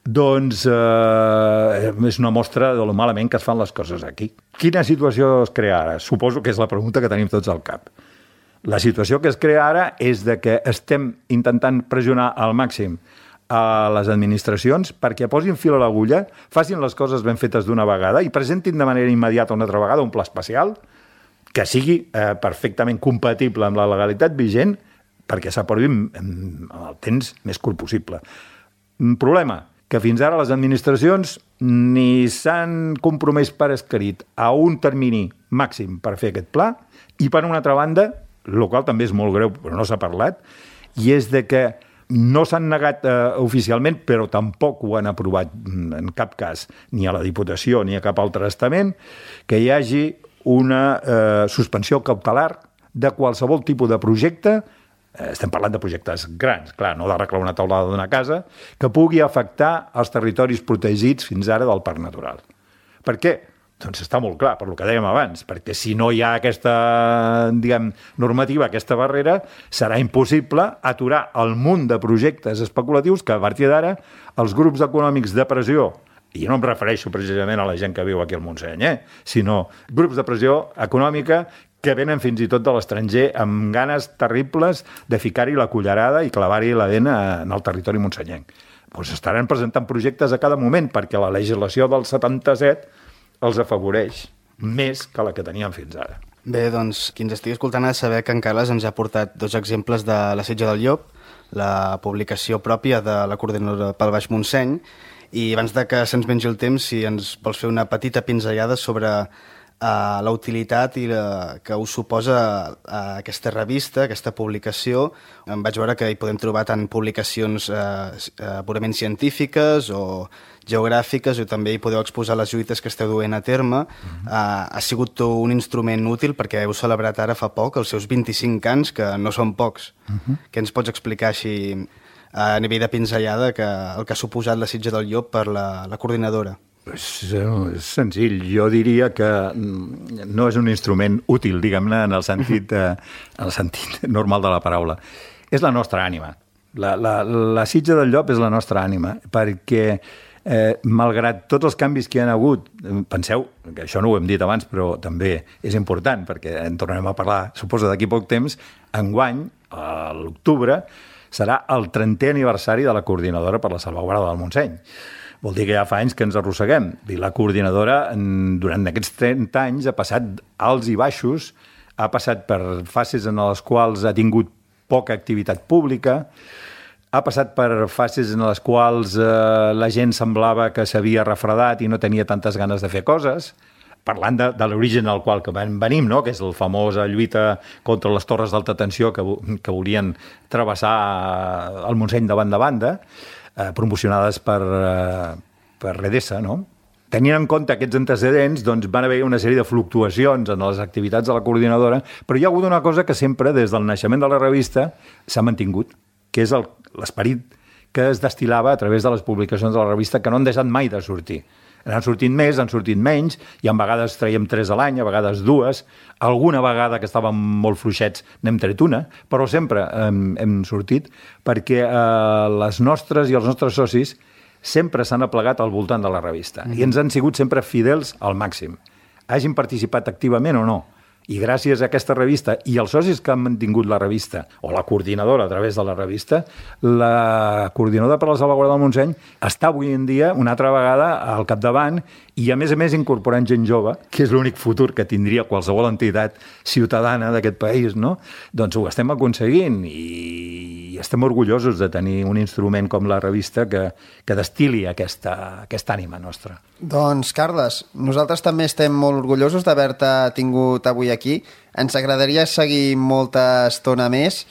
Doncs eh, és una mostra de lo malament que es fan les coses aquí. Quina situació es crea ara? Suposo que és la pregunta que tenim tots al cap. La situació que es crea ara és de que estem intentant pressionar al màxim a les administracions perquè posin fil a l'agulla, facin les coses ben fetes d'una vegada i presentin de manera immediata una altra vegada un pla especial que sigui eh, perfectament compatible amb la legalitat vigent perquè s'aprovi en el temps més curt possible. Un problema, que fins ara les administracions ni s'han compromès per escrit a un termini màxim per fer aquest pla i, per una altra banda, el qual també és molt greu, però no s'ha parlat, i és de que no s'han negat eh, oficialment, però tampoc ho han aprovat en cap cas, ni a la Diputació ni a cap altre estament, que hi hagi una eh, suspensió cautelar de qualsevol tipus de projecte, eh, estem parlant de projectes grans, clar, no d'arreglar una taulada d'una casa, que pugui afectar els territoris protegits fins ara del Parc Natural. Per què? Doncs està molt clar, per el que dèiem abans, perquè si no hi ha aquesta, diguem, normativa, aquesta barrera, serà impossible aturar el munt de projectes especulatius que a partir d'ara els grups econòmics de pressió, i no em refereixo precisament a la gent que viu aquí al Montseny, eh? sinó grups de pressió econòmica que venen fins i tot de l'estranger amb ganes terribles de ficar-hi la cullerada i clavar-hi la dent en el territori monsenyenc. Doncs estaran presentant projectes a cada moment perquè la legislació del setanta-set els afavoreix més que la que tenien fins ara. Bé, doncs, qui ens estigui escoltant ha de saber que en Carles ens ha portat dos exemples de la Sitja del Llop, la publicació pròpia de la Coordinadora pel Baix Montseny, i abans de que se'ns mengi el temps, si ens vols fer una petita pinzellada sobre uh, la utilitat i la, que us suposa uh, aquesta revista, aquesta publicació. Em vaig veure que hi podem trobar tant publicacions uh, uh, purament científiques o geogràfiques, o també hi podeu exposar les lluites que esteu duent a terme. Uh-huh. Uh, ha sigut un instrument útil perquè heu celebrat ara fa poc els seus vint-i-cinc anys, que no són pocs. Uh-huh. Què ens pots explicar així a nivell de pinzellada que el que ha suposat la Sitja del Llop per la, la coordinadora? És, és senzill. Jo diria que no és un instrument útil, diguem-ne, en el sentit, eh, en el sentit normal de la paraula. És la nostra ànima. La, la, la Sitja del Llop és la nostra ànima, perquè eh, malgrat tots els canvis que hi ha hagut, penseu, que això no ho hem dit abans, però també és important, perquè en tornarem a parlar, suposo, d'aquí poc temps, enguany, a l'octubre, serà el trentè aniversari de la Coordinadora per la Salvaguarda del Montseny. Vol dir que ja fa anys que ens arrosseguem. I la coordinadora, durant aquests trenta anys, ha passat alts i baixos, ha passat per fases en les quals ha tingut poca activitat pública, ha passat per fases en les quals eh, la gent semblava que s'havia refredat i no tenia tantes ganes de fer coses, parlant de, de l'origen al qual que venim, no? Que és la famosa lluita contra les torres d'alta tensió que, que volien travessar el Montseny de banda a banda, eh, promocionades per, eh, per Redesa, no? Tenint en compte aquests antecedents, doncs van haver una sèrie de fluctuacions en les activitats de la coordinadora, però hi ha hagut una cosa que sempre, des del naixement de la revista, s'ha mantingut, que és l'esperit que es destil·lava a través de les publicacions de la revista, que no han deixat mai de sortir. Han sortit més, han sortit menys, i a vegades traiem tres a l'any, a vegades dues. Alguna vegada que estàvem molt fluixets n'hem tret una, però sempre hem, hem sortit perquè eh, les nostres i els nostres socis sempre s'han aplegat al voltant de la revista mm-hmm. i ens han sigut sempre fidels al màxim. Hagin participat activament o no. I gràcies a aquesta revista i els socis que han mantingut la revista, o la coordinadora a través de la revista, la coordinadora per la salvaguarda del Montseny està avui en dia una altra vegada al capdavant i, a més a més, incorporant gent jove, que és l'únic futur que tindria qualsevol entitat ciutadana d'aquest país, no? Doncs ho estem aconseguint i estem orgullosos de tenir un instrument com la revista que, que destili aquesta, aquesta ànima nostra. Doncs, Carles, nosaltres també estem molt orgullosos d'haver-te tingut avui aquí. Ens agradaria seguir molta estona més.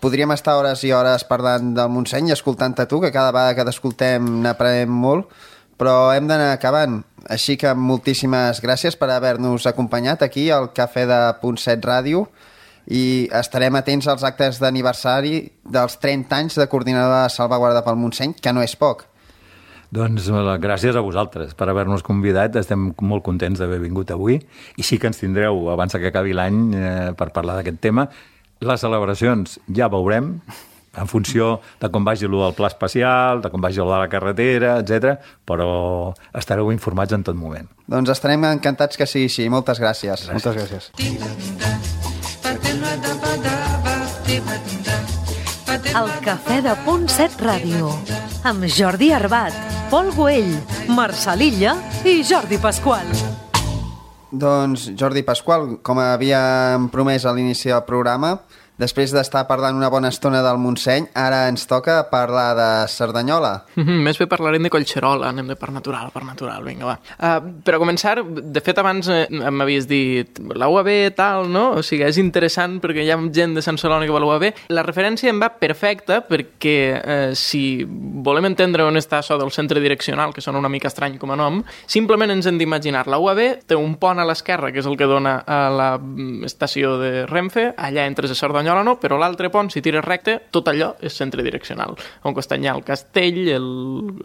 Podríem estar hores i hores parlant del Montseny i escoltant-te tu, que cada vegada que t'escoltem n'aprenem molt, però hem d'anar acabant. Així que moltíssimes gràcies per haver-nos acompanyat aquí al Cafè de Punt set Ràdio i estarem atents als actes d'aniversari dels trenta anys de coordinador de salvaguarda pel Montseny, que no és poc. Doncs gràcies a vosaltres per haver-nos convidat. Estem molt contents d'haver vingut avui i sí que ens tindreu abans que acabi l'any eh, per parlar d'aquest tema. Les celebracions ja veurem en funció de com vagi allò del pla especial, de com vagi allò de la carretera, etcètera, però estareu informats en tot moment. Doncs estarem encantats que sigui així. Moltes gràcies. gràcies. Moltes gràcies. El Cafè de Punt set Ràdio amb Jordi Arbat, Pol Güell, Marçal Illa i Jordi Pasqual. Doncs, Jordi Pasqual, com havíem promès a l'inici del programa, després d'estar parlant una bona estona del Montseny, ara ens toca parlar de Cerdanyola. Mm-hmm, més bé parlarem de Collserola, anem de part natural, part natural, vinga, va. Uh, per a començar, de fet, abans eh, m'havies dit la U A B, tal, no? O sigui, és interessant perquè hi ha gent de Sant Celoni que va a la U A B. La referència em va perfecta perquè eh, si volem entendre on està això del centre direccional, que sona una mica estrany com a nom, simplement ens hem d'imaginar. La U A B té un pont a l'esquerra, que és el que dona a la estació de Renfe, allà entres a Cerdanyola, no, però l'altre pont, si tires recte, tot allò és centre direccional. On costat hi ha el castell, el,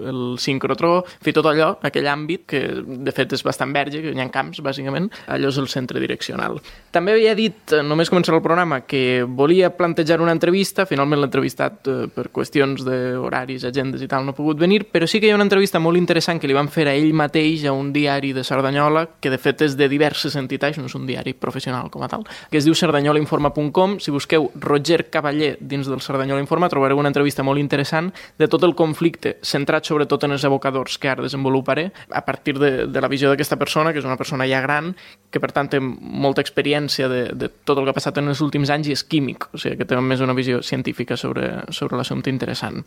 el sincrotró, en fi, tot allò, aquell àmbit, que de fet és bastant verge, que hi ha camps, bàsicament, allò és el centre direccional. També havia dit, només començar el programa, que volia plantejar una entrevista, finalment l'he entrevistat eh, per qüestions d'horaris, agendes i tal, no ha pogut venir, però sí que hi ha una entrevista molt interessant que li van fer a ell mateix a un diari de Cerdanyola, que de fet és de diverses entitats, no és un diari professional com a tal, que es diu cerdanyola informa punt com. Si busqueu Roger Cavaller dins del Cerdanyola Informa trobareu una entrevista molt interessant de tot el conflicte, centrat sobretot en els abocadors que ara desenvoluparé, a partir de, de la visió d'aquesta persona, que és una persona ja gran, que per tant té molta experiència de, de tot el que ha passat en els últims anys i és químic, o sigui que té més una visió científica sobre, sobre l'assumpte interessant.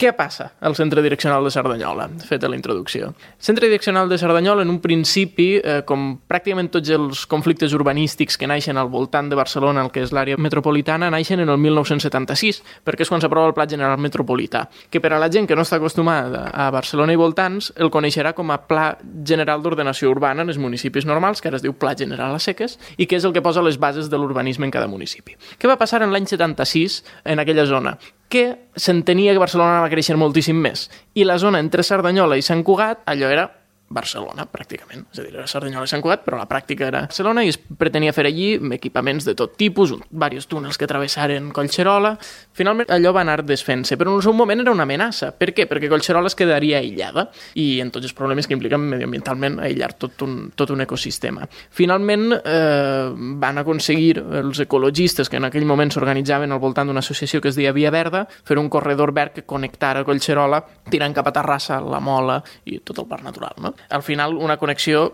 Què passa al centre direccional de Cerdanyola? Feta la introducció. El centre direccional de Cerdanyola, en un principi, eh, com pràcticament tots els conflictes urbanístics que naixen al voltant de Barcelona, el que és l'àrea metropolitana, naixen en el mil nou-cents setanta-sis, perquè és quan s'aprova el Pla General Metropolità, que per a la gent que no està acostumada a Barcelona i voltants, el coneixerà com a Pla General d'Ordenació Urbana en els municipis normals, que ara es diu Pla General a seques, i que és el que posa les bases de l'urbanisme en cada municipi. Què va passar en l'any setanta-sis en aquella zona? Que s'entenia que Barcelona va créixer moltíssim més. I la zona entre Cerdanyola i Sant Cugat, allò era Barcelona, pràcticament. És a dir, era Cerdanyola i Sant Cugat, però la pràctica era Barcelona i es pretenia fer allí equipaments de tot tipus, diversos túnels que travessaren Collserola. Finalment, allò va anar desfent-se, però en el seu moment era una amenaça. Per què? Perquè Collserola es quedaria aïllada i en tots els problemes que impliquen mediambientalment aïllar tot un, tot un ecosistema. Finalment, eh, van aconseguir els ecologistes que en aquell moment s'organitzaven al voltant d'una associació que es deia Via Verda, fer un corredor verd que connectara Collserola, tirant cap a Terrassa, la Mola i tot el parc natural, no? Al final, una connexió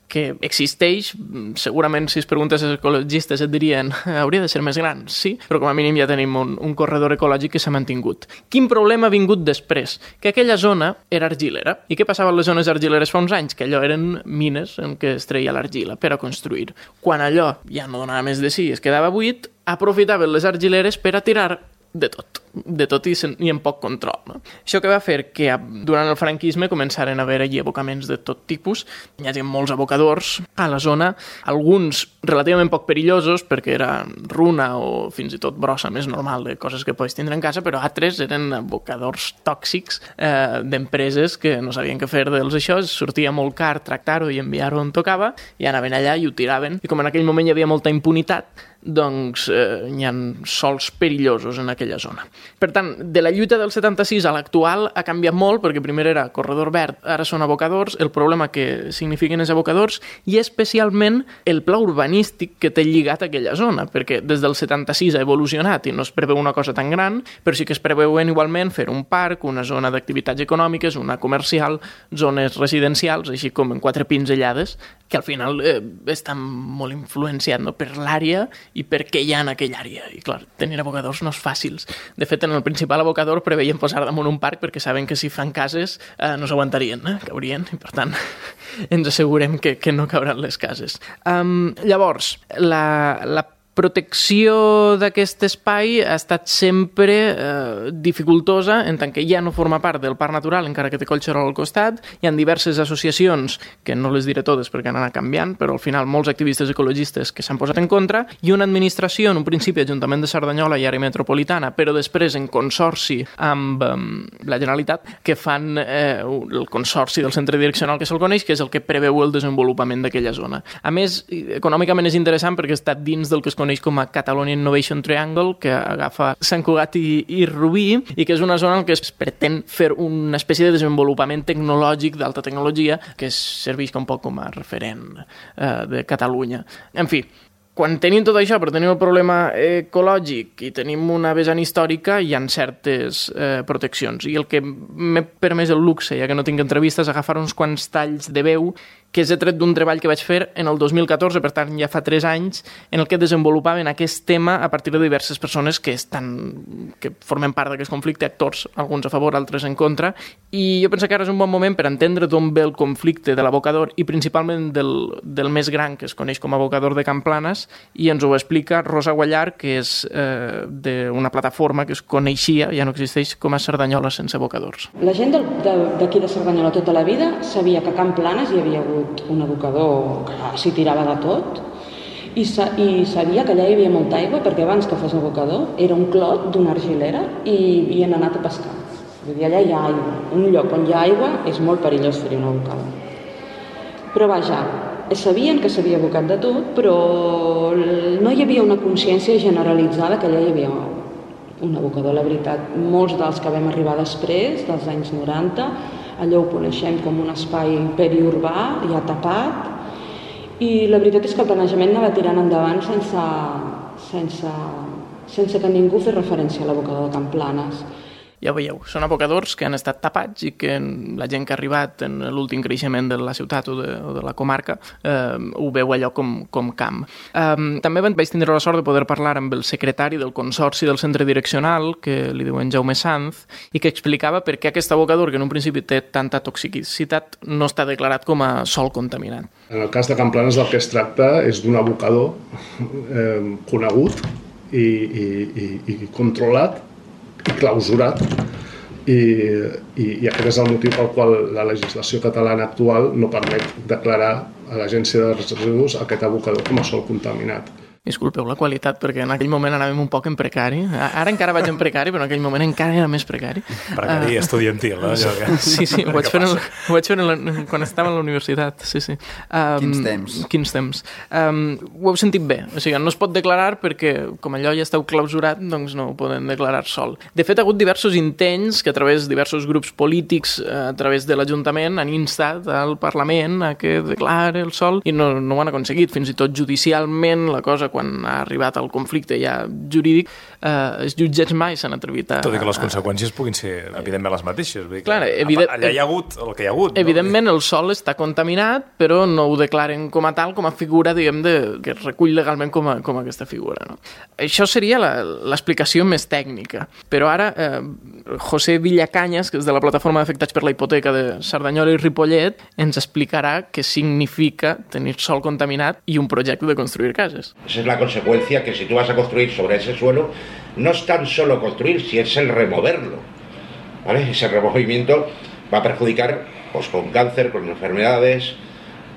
que existeix, segurament si es preguntes als ecologistes et dirien hauria de ser més gran, sí, però com a mínim ja tenim un, un corredor ecològic que s'ha mantingut. Quin problema ha vingut després? Que aquella zona era argilera. I què passava a les zones argileres fa uns anys? Que allò eren mines en què es treia l'argila per a construir. Quan allò ja no donava més de sí, es quedava buit, aprofitaven les argileres per a tirar de tot, de tot i, sen, i amb poc control. No? Això que va fer que durant el franquisme començaren a haver allí abocaments de tot tipus, hi havia molts abocadors a la zona, alguns relativament poc perillosos perquè era runa o fins i tot brossa més normal de coses que pots tindre en casa, però altres eren abocadors tòxics eh, d'empreses que no sabien què fer dels això, sortia molt car tractar-ho i enviar-ho on tocava i anaven allà i ho tiraven, i com en aquell moment hi havia molta impunitat, doncs eh, hi ha sols perillosos en aquella zona. Per tant, de la lluita del setanta-sis a l'actual ha canviat molt, perquè primer era corredor verd, ara són abocadors, el problema que signifiquen els abocadors i especialment el pla urbanístic que té lligat a aquella zona, perquè des del setanta-sis ha evolucionat i no es preveu una cosa tan gran, però sí que es preveuen igualment fer un parc, una zona d'activitats econòmiques, una comercial, zones residencials, així com en quatre pinzellades, que al final eh, estan molt influenciats, no?, per l'àrea i per què hi ha en aquella àrea. I clar, tenir abocadors no és fàcil. De fet, en el principal abocador preveien posar damunt un parc perquè saben que si fan cases eh, no s'aguantarien, eh? Caurien, i per tant ens assegurem que, que no cauran les cases. Um, llavors, la, la protecció d'aquest espai ha estat sempre eh, dificultosa en tant que ja no forma part del parc natural, encara que té Collserola al costat. Hi ha diverses associacions, que no les diré totes perquè han anat canviant, però al final molts activistes ecologistes que s'han posat en contra, i una administració, en un principi Ajuntament de Cerdanyola i àrea metropolitana, però després en consorci amb eh, la Generalitat, que fan eh, el consorci del centre direccional que se'l coneix, que és el que preveu el desenvolupament d'aquella zona. A més, econòmicament és interessant perquè està dins del que es coneix com a Catalonia Innovation Triangle, que agafa Sant Cugat i, i Rubí, i que és una zona en què es pretén fer una espècie de desenvolupament tecnològic d'alta tecnologia que serveix un poc com a referent eh, de Catalunya. En fi, quan tenim tot això, però tenim el problema ecològic i tenim una vessant històrica, hi ha certes eh, proteccions. I el que m'he permès el luxe, ja que no tinc entrevistes, agafar uns quants talls de veu que és tret d'un treball que vaig fer en el dos mil catorze, per tant ja fa tres anys, en el que desenvolupaven aquest tema a partir de diverses persones que estan que formen part d'aquest conflicte, actors, alguns a favor, altres en contra, i jo penso que ara és un bon moment per entendre d'on ve el conflicte de l'abocador i principalment del, del més gran, que es coneix com a abocador de Camplanes, i ens ho explica Rosa Guallar, que és eh, d'una plataforma que es coneixia, ja no existeix, com a Cerdanyola sense abocadors. La gent d'aquí de Cerdanyola tota la vida sabia que a Camplanes hi havia hagut un abocador que s'hi tirava de tot i, sa i sabia que allà hi havia molta aigua perquè abans que fos abocador era un clot d'una argilera i havien anat a pescar. Vull dir, allà hi ha aigua. Un lloc on hi ha aigua és molt perillós fer-hi un abocador. Però vaja, sabien que s'havia abocat de tot, però no hi havia una consciència generalitzada que allà hi havia un abocador. La veritat, molts dels que vam arribar després, dels anys noranta, allò ho coneixem com un espai periurbà, ja tapat, i la veritat és que el planejament anava tirant endavant sense, sense, sense que ningú fes referència a l'abocador de Camplanes. Ja ho veieu, són abocadors que han estat tapats i que la gent que ha arribat en l'últim creixement de la ciutat o de, o de la comarca eh, ho veu allò com, com camp. Eh, també vaig tindre la sort de poder parlar amb el secretari del Consorci del Centre Direccional, que li diuen Jaume Sanz, i que explicava per què aquest abocador, que en un principi té tanta toxicitat, no està declarat com a sòl contaminat. En el cas de Camplanes el que es tracta és d'un abocador eh, conegut i, i, i, i controlat i clausurat i, i, i aquest és el motiu pel qual la legislació catalana actual no permet declarar a l'Agència de Residus aquest abocador com a sòl contaminat. Disculpeu la qualitat, perquè en aquell moment anàvem un poc en precari. Ara encara vaig en precari, però en aquell moment encara era més precari. Precari uh, estudiantil, no? Que... Sí, sí, ho vaig fer, el, ho vaig fer la, quan estava a la universitat, sí, sí. Um, quins temps. Quins temps. Um, ho heu sentit bé, o sigui, no es pot declarar perquè, com allò ja esteu clausurat, doncs no ho poden declarar sol. De fet, ha hagut diversos intents que a través de diversos grups polítics, a través de l'Ajuntament, han instat al Parlament a que declare el sol i no, no ho han aconseguit. Fins i tot judicialment la cosa, quan ha arribat al conflicte ja jurídic, eh, els jutjats mai s'han atrevit a... Tot i que les conseqüències puguin ser, evidentment, les mateixes. Vull dir que clar, evident... allà hi ha hagut el que hi ha hagut. Evidentment, no? El sòl està contaminat, però no ho declaren com a tal, com a figura, diguem, de, que es recull legalment com a, com a aquesta figura. No? Això seria l'explicació més tècnica. Però ara, eh, José Villacanyas, que és de la Plataforma d'Afectats per la Hipoteca de Cerdanyola i Ripollet, ens explicarà què significa tenir sòl contaminat i un projecte de construir cases. Esa es la consecuencia, que si tú vas a construir sobre ese suelo, no es tan solo construir, si es el removerlo, ¿vale? Ese removimiento va a perjudicar pues, con cáncer, con enfermedades,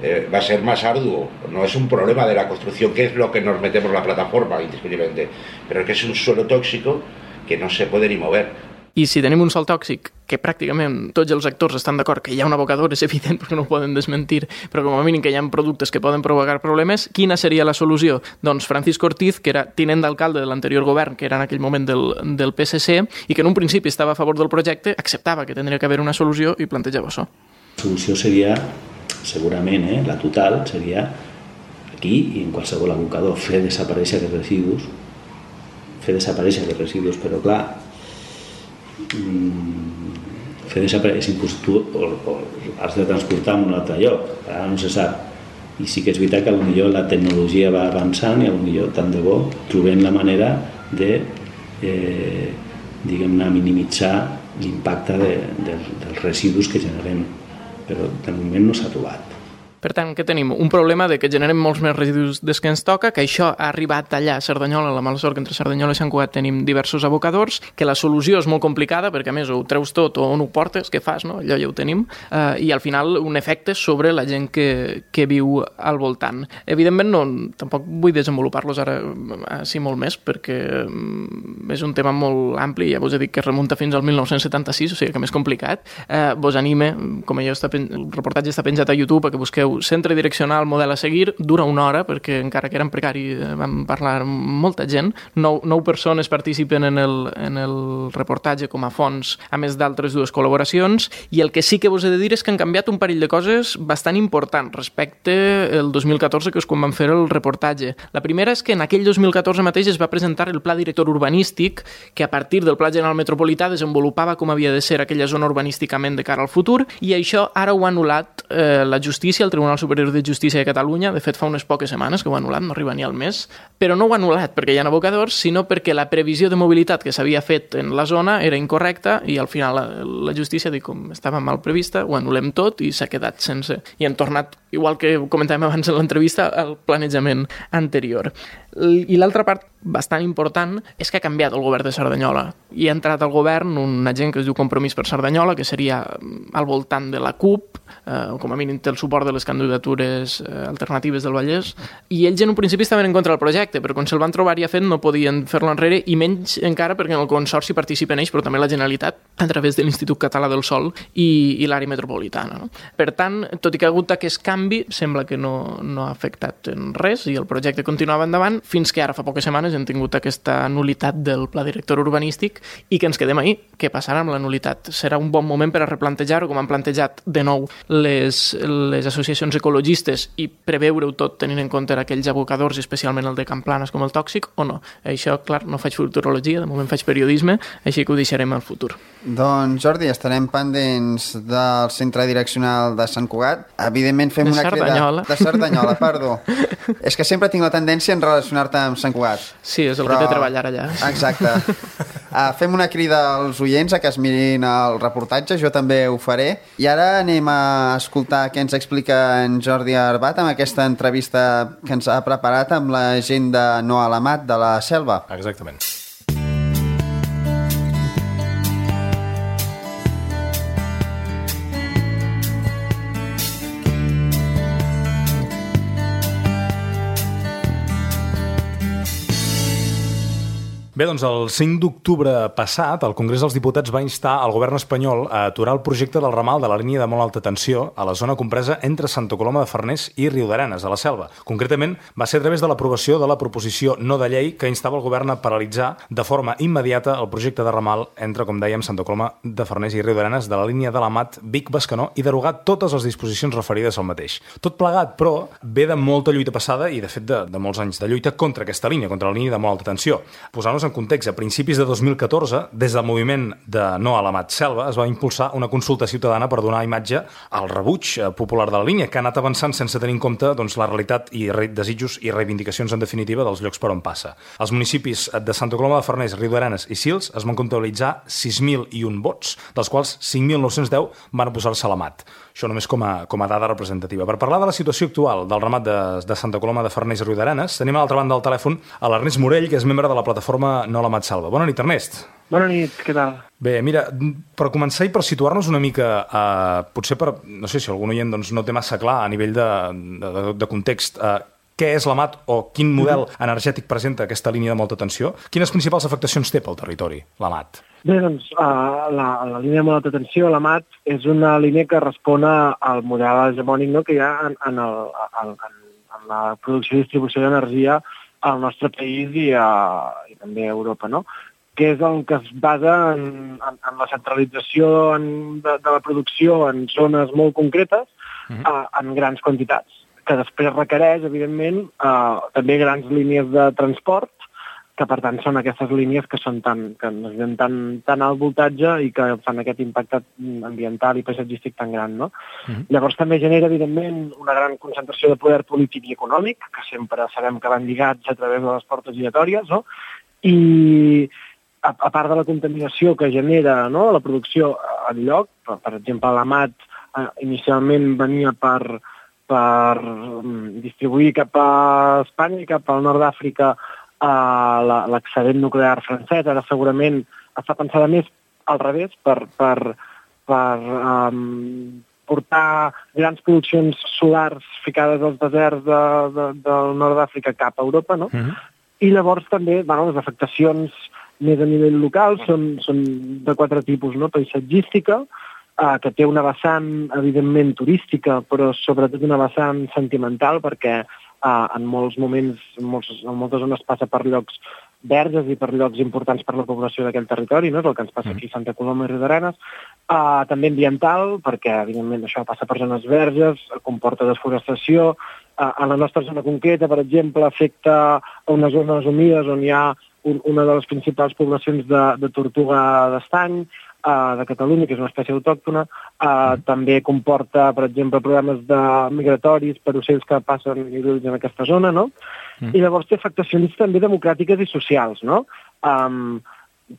eh, va a ser más arduo. No es un problema de la construcción, que es lo que nos metemos la plataforma, indiscutiblemente, pero es que es un suelo tóxico que no se puede ni mover. i si tenim un sòl tòxic que pràcticament tots els actors estan d'acord que hi ha un abocador, és evident perquè no ho poden desmentir, però com a mínim que hi ha productes que poden provocar problemes, quina seria la solució? Doncs Francisco Ortiz, que era tinent d'alcalde de l'anterior govern, que era en aquell moment del, del P S C, i que en un principi estava a favor del projecte, acceptava que tindria que haver una solució i plantejava això. La solució seria, segurament, eh, la total, seria aquí i en qualsevol abocador, fer desaparèixer els residus, fer desaparèixer els residus, però clar, fer desaparèixer tu o, o has de transportar a un altre lloc, ara no se sap. I sí que és veritat que potser la tecnologia va avançant i potser tant de bo trobem la manera de eh, diguem-ne minimitzar l'impacte de, de, dels residus que generem, però de moment no s'ha trobat. Per tant, què tenim? Un problema de que generem molts més residus des que ens toca, que això ha arribat allà a Cerdanyola, la mala sort que entre Cerdanyola i Sant Cugat tenim diversos abocadors, que la solució és molt complicada perquè a més ho treus tot o on ho portes, què fas, no? Allò ja ho tenim, eh, i al final un efecte sobre la gent que, que viu al voltant. Evidentment no, tampoc vull desenvolupar-los ara així molt més perquè és un tema molt ampli, ja vos he dit que es remunta fins al mil nou-cents setanta-sis, o sigui que més complicat. Eh, vos anime, com allò està pen... el reportatge està penjat a YouTube, perquè busqueu centre direccional, model a seguir, dura una hora, perquè encara que era en precari vam parlar amb molta gent, nou, nou persones participen en el, en el reportatge com a fons, a més d'altres dues col·laboracions, i el que sí que vos he de dir és que han canviat un parell de coses bastant importants respecte el dos mil catorze, que és quan vam fer el reportatge. La primera és que en aquell dos mil catorze mateix es va presentar el Pla Director Urbanístic, que a partir del Pla General Metropolità desenvolupava com havia de ser aquella zona urbanísticament de cara al futur, i això ara ho ha anul·lat eh, la justícia, el Tribunal Superior de Justícia de Catalunya, de fet fa unes poques setmanes que ho ha anul·lat, no arriba ni al mes, però no ho ha anul·lat perquè hi ha abocadors, sinó perquè la previsió de mobilitat que s'havia fet en la zona era incorrecta i al final la, la justícia, dic, com estava mal prevista, ho anul·lem tot i s'ha quedat sense. I hem tornat, igual que comentàvem abans en l'entrevista, al planejament anterior. I l'altra part bastant important és que ha canviat el govern de Cerdanyola i ha entrat al govern un agent que es diu Compromís per Cerdanyola, que seria al voltant de la CUP, eh, com a mínim té el suport de les candidatures eh, alternatives del Vallès, i ells en un principi estaven en contra del projecte, però quan se'l van trobar ja fet no podien fer-lo enrere, i menys encara perquè en el Consorci participen ells, però també la Generalitat, a través de l'Institut Català del Sòl i, i l'àrea metropolitana. No? Per tant, tot i que ha hagut aquest canvi, sembla que no, no ha afectat en res i el projecte continuava endavant, fins que ara fa poques setmanes hem tingut aquesta nulitat del Pla Director Urbanístic i que ens quedem ahí. Què passarà amb la nulitat? Serà un bon moment per a replantejar-ho, com han plantejat de nou les, les associacions ecologistes, i preveure-ho tot tenint en compte aquells abocadors, especialment el de Camplanes com el tòxic, o no? Això, clar, no faig futurologia, de moment faig periodisme, així que ho deixarem al futur. Doncs, Jordi, estarem pendents del centre direccional de Sant Cugat. Evidentment fem de una Cerdanyola. crida... De Cerdanyola, perdó. És que sempre tinc la tendència en relacionar-te amb Sant Cugat. Sí, és el Però... que té treballar allà. Exacte. Uh, fem una crida als oients a que es mirin el reportatge, jo també ho faré. I ara anem a escoltar què ens explica en Jordi Arbat amb aquesta entrevista que ens ha preparat amb la gent de No a l'Amat de la Selva. Exactament. Bé, doncs el cinc d'octubre passat, el Congrés dels Diputats va instar al govern espanyol a aturar el projecte del ramal de la línia de molt alta tensió a la zona compresa entre Santa Coloma de Farners i Riudarenes, a la Selva. Concretament, va ser a través de l'aprovació de la proposició no de llei que instava el govern a paralitzar de forma immediata el projecte de ramal entre, com dèiem, Santa Coloma de Farners i Riudarenes de la línia de l'Amat Vic-Bescanó i derogar totes les disposicions referides al mateix. Tot plegat, però, ve de molta lluita passada i, de fet, de, de molts anys de lluita contra aquesta línia, contra la línia de molt alta tensió. Posant-nos en context, a principis de dos mil catorze, des del moviment de No a l'Amat Selva, es va impulsar una consulta ciutadana per donar imatge al rebuig popular de la línia, que ha anat avançant sense tenir en compte doncs, la realitat i desitjos i reivindicacions, en definitiva, dels llocs per on passa. Els municipis de Santa Coloma de Farners, Riudarenes i Sils es van comptabilitzar sis mil i un vots, dels quals cinc mil nou-cents deu van oposar-se a l'Amat. Això només com a, com a dada representativa. Per parlar de la situació actual del ramat de, de Santa Coloma de Farners i Riudarenes, tenim a l'altra banda del telèfon a l'Ernest Morell, que és membre de la plataforma No a l'Amat Selva. Bona nit, Ernest. Bona nit, què tal? Bé, mira, per començar i per situar-nos una mica, eh, potser per, no sé si algun oient doncs, no té massa clar a nivell de, de, de context, eh, què és l'Amat o quin model energètic presenta aquesta línia de molta tensió, quines principals afectacions té pel territori, l'Amat? Bé, doncs, uh, la, la línia de molta tensió, l'Amat, és una línia que respon al model hegemònic, no?, que hi ha en, en, el, en, en la producció i distribució d'energia al nostre país i, a, i també a Europa, no?, que és el que es basa en, en, en la centralització en, de, de la producció en zones molt concretes, mm-hmm. uh, en grans quantitats, que després requereix, evidentment, uh, també grans línies de transport, que per tant són aquestes línies que són tan, que necessiten tan, tan alt voltatge i que fan aquest impacte ambiental i paisatgístic tan gran, no? Mm-hmm. Llavors també genera, evidentment, una gran concentració de poder polític i econòmic, que sempre sabem que van lligats a través de les portes giratòries, no? I a, a part de la contaminació que genera, no?, la producció al lloc, per, per exemple, l'Amat eh, inicialment venia per, per um, distribuir cap a Espanya i cap al nord d'Àfrica uh, l'excedent nuclear francès. Ara segurament està pensada més al revés, per, per, per um, portar grans produccions solars ficades als deserts de, de, del nord d'Àfrica cap a Europa, no? Mm-hmm. I llavors també, bueno, les afectacions més a nivell local són, són de quatre tipus, no? Paisatgística, eh, que té una vessant, evidentment, turística, però sobretot una vessant sentimental, perquè eh, en molts moments, en, molts, en moltes zones passa per llocs verges i per llocs importants per la població d'aquell territori, no? És el que ens passa aquí a Santa Coloma i Riudarenes. Uh, també ambiental, perquè, evidentment, això passa per zones verges, comporta desforestació. Uh, en la nostra zona concreta, per exemple, afecta a unes zones humides on hi ha un, una de les principals poblacions de, de tortuga d'estany, uh, de Catalunya, que és una espècie autòctona. Uh, també comporta, per exemple, problemes de migratoris per ocells que passen i viuen en aquesta zona, no? Mm. I llavors té afectacions també democràtiques i socials, no? Um,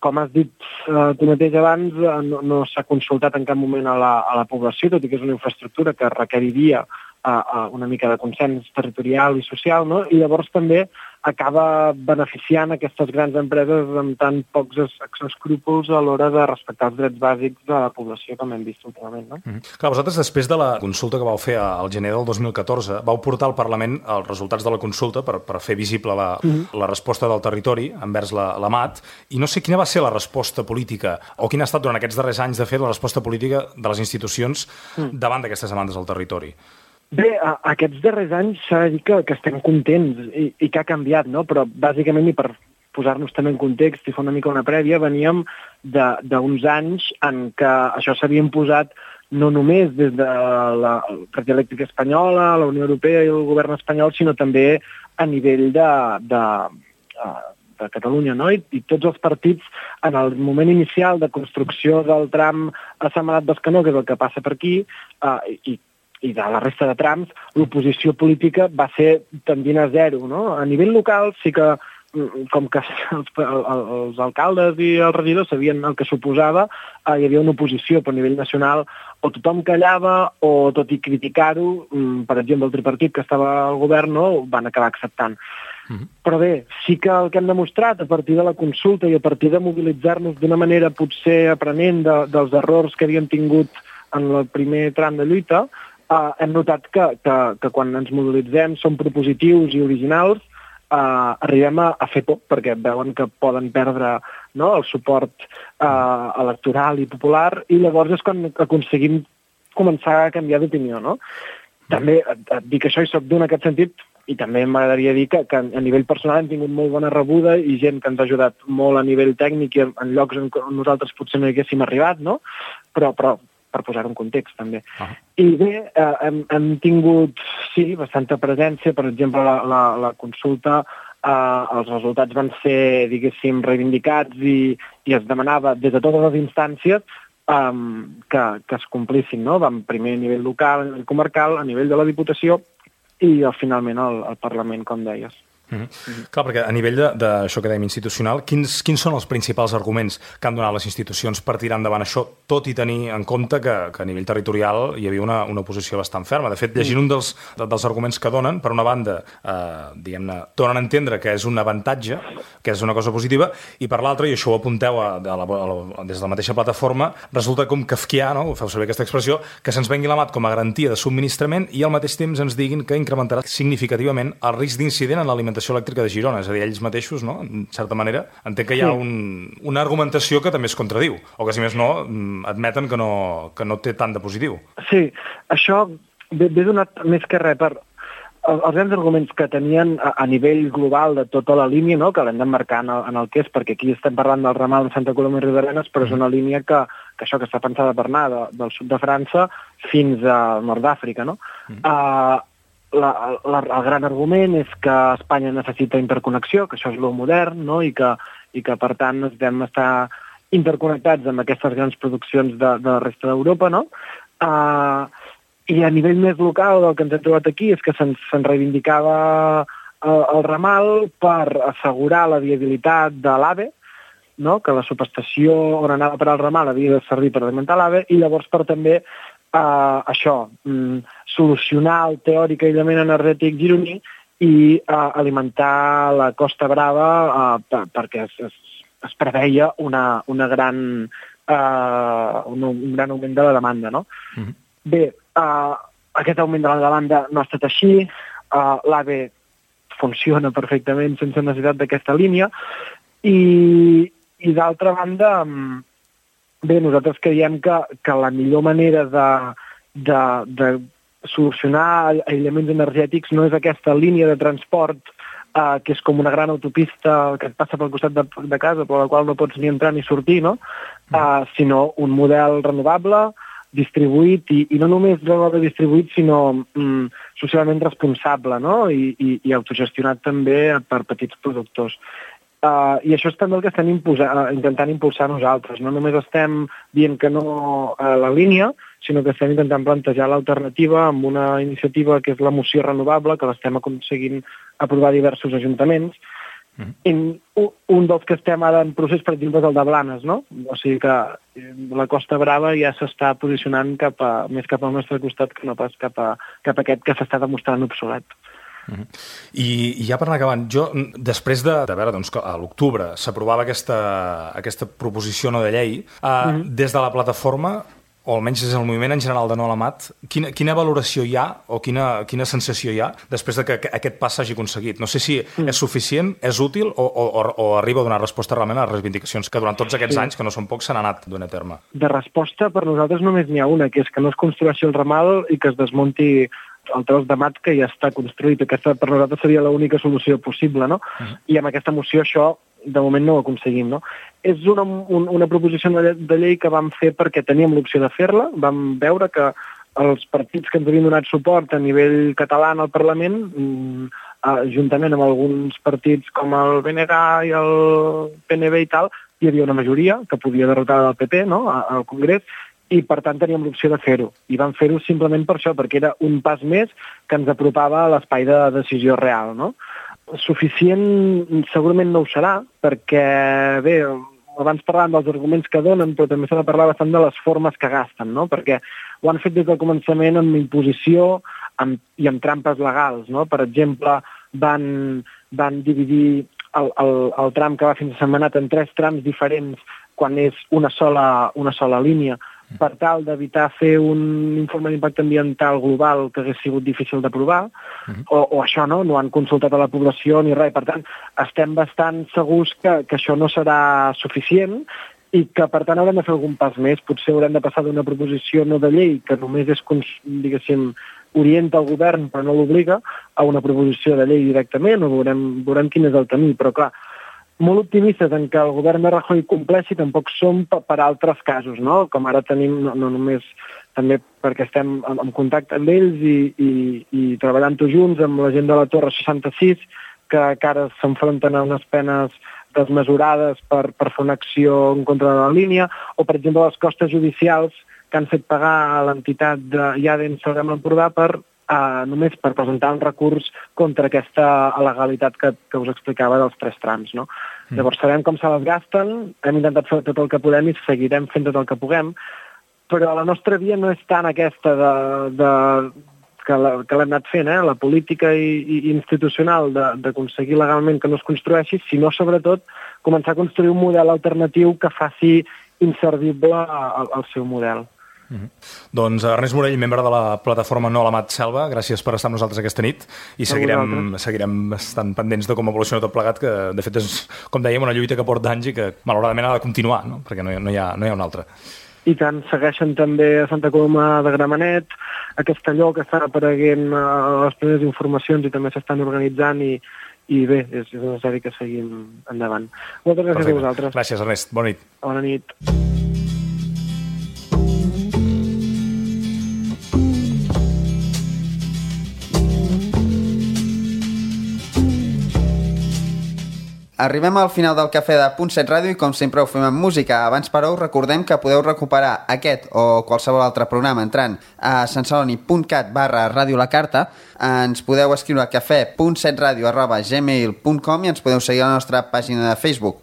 com has dit uh, tu mateix abans, uh, no, no s'ha consultat en cap moment a la, a la població, tot i que és una infraestructura que requeriria uh, uh, una mica de consens territorial i social, no? I llavors també acaba beneficiant aquestes grans empreses amb tan pocs escrúpols a l'hora de respectar els drets bàsics de la població, com hem vist últimament, no? Mm. Clar, vosaltres, després de la consulta que vau fer al gener del dos mil catorze, vau portar al Parlament els resultats de la consulta per, per fer visible la, mm. la resposta del territori envers la, l'Amat, i no sé quina va ser la resposta política, o quina ha estat durant aquests darrers anys, de fet, la resposta política de les institucions mm. davant d'aquestes demandes al territori. Bé, a, aquests darrers anys s'ha de dir que, que estem contents i, i que ha canviat, no? Però bàsicament, i per posar-nos també en context i fer una mica una prèvia, veníem d'uns anys en què això s'havia imposat no només des de la Red Elèctrica Espanyola, la Unió Europea i el govern espanyol, sinó també a nivell de, de, de Catalunya, no? I, i tots els partits, en el moment inicial de construcció del tram a Sentmenat-Bescanó, que és el que passa per aquí, eh, i i de la resta de trams, l'oposició política va ser tendint a zero, no? A nivell local sí que, com que els, els alcaldes i els regidors sabien el que suposava, eh, hi havia una oposició, però a nivell nacional o tothom callava o, tot i criticar-ho, per exemple, el tripartit que estava al govern, no, ho van acabar acceptant. Mm-hmm. Però bé, sí que el que hem demostrat a partir de la consulta i a partir de mobilitzar-nos d'una manera potser aprenent de, dels errors que havíem tingut en el primer tram de lluita, Uh, hem notat que, que, que quan ens mobilitzem som propositius i originals, uh, arribem a, a fer por, perquè veuen que poden perdre, no?, el suport uh, electoral i popular, i llavors és quan aconseguim començar a canviar d'opinió, no? També et, et dic això i soc d'un en aquest sentit, i també m'agradaria dir que, que a nivell personal hem tingut molt bona rebuda i gent que ens ha ajudat molt a nivell tècnic i en, en llocs on nosaltres potser no hi haguéssim arribat, no? Però, però per posar un context, també. Uh -huh. I bé, eh, hem, hem tingut, sí, bastanta presència. Per exemple, la, la, la consulta, eh, els resultats van ser, diguéssim, reivindicats i, i es demanava des de totes les instàncies eh, que, que es complissin, no? Vam primer a nivell local, a nivell comarcal, a nivell de la Diputació i finalment al, al Parlament, com deies. Mm-hmm. Clar, perquè a nivell d'això que dèiem institucional, quins, quins són els principals arguments que han donat les institucions per tirar endavant això, tot i tenir en compte que, que a nivell territorial hi havia una, una posició bastant ferma? De fet, llegint un dels, dels arguments que donen, per una banda, eh, diguem-ne, donen a entendre que és un avantatge, que és una cosa positiva, i per l'altra, i això ho apunteu a, a la, a la, des de la mateixa plataforma, resulta com kafkià, no? Ho feu servir aquesta expressió, que se'ns vengui la mat com a garantia de subministrament i al mateix temps ens diguin que incrementarà significativament el risc d'incident en l'alimentació elèctrica de Girona, és a dir, ells mateixos, no? En certa manera, entenc que hi ha un, una argumentació que també es contradiu, o que, si més no, admeten que no, que no té tant de positiu. Sí, això ve, ve donat més que res per els grans arguments que tenien a, a nivell global de tota la línia, no? Que l'hem d'emmarcar en, el, en el que és, perquè aquí estem parlant del ramal de Santa Coloma i Riudarenes, però és una línia que, que això que està pensada per anar de, del sud de França fins al nord d'Àfrica, no? Mm. Uh, La, la, el gran argument és que Espanya necessita interconnexió, que això és lo modern, no? I, que, i que, per tant, vam estar interconnectats amb aquestes grans produccions de, de la resta d'Europa, no? Uh, I a nivell més local, el que ens hem trobat aquí és que se'ns se reivindicava el, el ramal per assegurar la viabilitat de l'AVE, no? Que la subestació on anava per al ramal havia de servir per alimentar l'AVE, i llavors per també Uh, això, um, solucionar el teòric aïllament energètic gironí i uh, alimentar la Costa Brava uh, per, perquè es, es, es preveia una, una gran, uh, un, un gran augment de la demanda, no? Mm-hmm. Bé, uh, aquest augment de la demanda no ha estat així, uh, l'AVE funciona perfectament sense necessitat d'aquesta línia i, i d'altra banda... Um, Bé, nosaltres creiem que, que la millor manera de, de, de solucionar aïllaments energètics no és aquesta línia de transport eh, que és com una gran autopista que et passa pel costat de, de casa, per la qual no pots ni entrar ni sortir, no? Eh, sinó un model renovable, distribuït, i, i no només renovable distribuït, sinó mm, socialment responsable, no? I, i, i autogestionat també per petits productors. Uh, I això és també el que estem imposa, uh, intentant impulsar nosaltres. No només estem dient que no a la línia, sinó que estem intentant plantejar l'alternativa amb una iniciativa que és la moció renovable, que l'estem aconseguint aprovar diversos ajuntaments. Mm-hmm. I un dels que estem ara en procés, per exemple, és el de Blanes, no? O sigui que la Costa Brava ja s'està posicionant cap a, més cap al nostre costat que no pas cap a, cap a aquest que s'està demostrant obsolet. Uh-huh. I, I ja per anar acabant, jo, després de, de veure doncs, que a l'octubre s'aprovava aquesta, aquesta proposició no de llei, uh, uh-huh. des de la plataforma, o almenys des del moviment en general de No a la Mat, quina, quina valoració hi ha o quina, quina sensació hi ha després de que aquest pas s'hagi aconseguit? No sé si uh-huh. és suficient, és útil o, o, o arriba a donar resposta realment a les reivindicacions que durant tots aquests sí. anys, que no són pocs, s'han anat donant a terme. De resposta, per nosaltres només n'hi ha una, que és que no es construeixi el ramal i que es desmunti el tros de mat que ja està construït. Aquesta per nosaltres seria l'única solució possible, no? Uh-huh. I amb aquesta moció això de moment no ho aconseguim, no? És una, un, una proposició de, de llei que vam fer perquè teníem l'opció de fer-la, vam veure que els partits que ens havien donat suport a nivell català al Parlament, eh, juntament amb alguns partits com el B N G i el P N V i tal, hi havia una majoria que podia derrotar el P P, no?, al Congrés, i per tant teníem l'opció de fer-ho. I vam fer-ho simplement per això, perquè era un pas més que ens apropava a l'espai de decisió real, no? Suficient segurament no ho serà, perquè, bé, abans parlàvem dels arguments que donen, però també s'ha de parlar bastant de les formes que gasten, no? Perquè ho han fet des del començament amb imposició amb, i amb trampes legals, no? Per exemple, van, van dividir el, el, el tram que va fins a Sentmenat en tres trams diferents quan és una sola, una sola línia, per tal d'evitar fer un informe d'impacte ambiental global que hagués sigut difícil d'aprovar, uh-huh. o, o això no, no han consultat a la població ni res. Per tant, estem bastant segurs que, que això no serà suficient i que, per tant, haurem de fer algun pas més. Potser haurem de passar d'una proposició no de llei, que només és, diguéssim, orienta el govern però no l'obliga, a una proposició de llei directament, o veurem, veurem quin és el camí. Però, clar, molt optimistes en que el govern de Rajoy compleixi tampoc som per altres casos, no? Com ara tenim, no, no només també perquè estem en, en contacte amb ells i, i, i treballant tots junts amb la gent de la Torre seixanta-sis, que encara s'enfronten a unes penes desmesurades per, per fer una acció en contra de la línia, o per exemple les costes judicials que han fet pagar a l'entitat de Iadens Salem l'Empordà per Uh, només per presentar un recurs contra aquesta il·legalitat que, que us explicava dels tres trams, no? Mm. Llavors sabem com se les gasten, hem intentat fer tot el que podem i seguirem fent tot el que puguem, però la nostra via no és tant aquesta de, de, que, la, que l'hem anat fent, eh? La política i, i institucional d'aconseguir legalment que no es construeixi, sinó sobretot començar a construir un model alternatiu que faci inservible el, el seu model. Mm-hmm. Doncs Ernest Morell, membre de la plataforma No a la Mat Selva, gràcies per estar amb nosaltres aquesta nit i seguirem, seguirem estant pendents de com evoluciona tot plegat, que de fet és, com dèiem, una lluita que porta anys i que malauradament ha de continuar, no? Perquè no hi, no, hi ha, no hi ha una altra. I tant, segueixen també a Santa Coloma de Gramenet, a Castelló, que estan apareguent a les primeres informacions i també s'estan organitzant i, i bé, és, és necessari que seguim endavant. Moltes gràcies Perfecte. A vosaltres. Gràcies, Ernest. Bona nit. Bona nit. Arribem al final del Cafè de Punt set Ràdio i com sempre ho fem amb música. Abans, però, us recordem que podeu recuperar aquest o qualsevol altre programa entrant a santceloni.cat barra Ràdio La Carta. Ens podeu escriure a cafè punt set ràdio arroba gmail punt com i ens podeu seguir a la nostra pàgina de Facebook.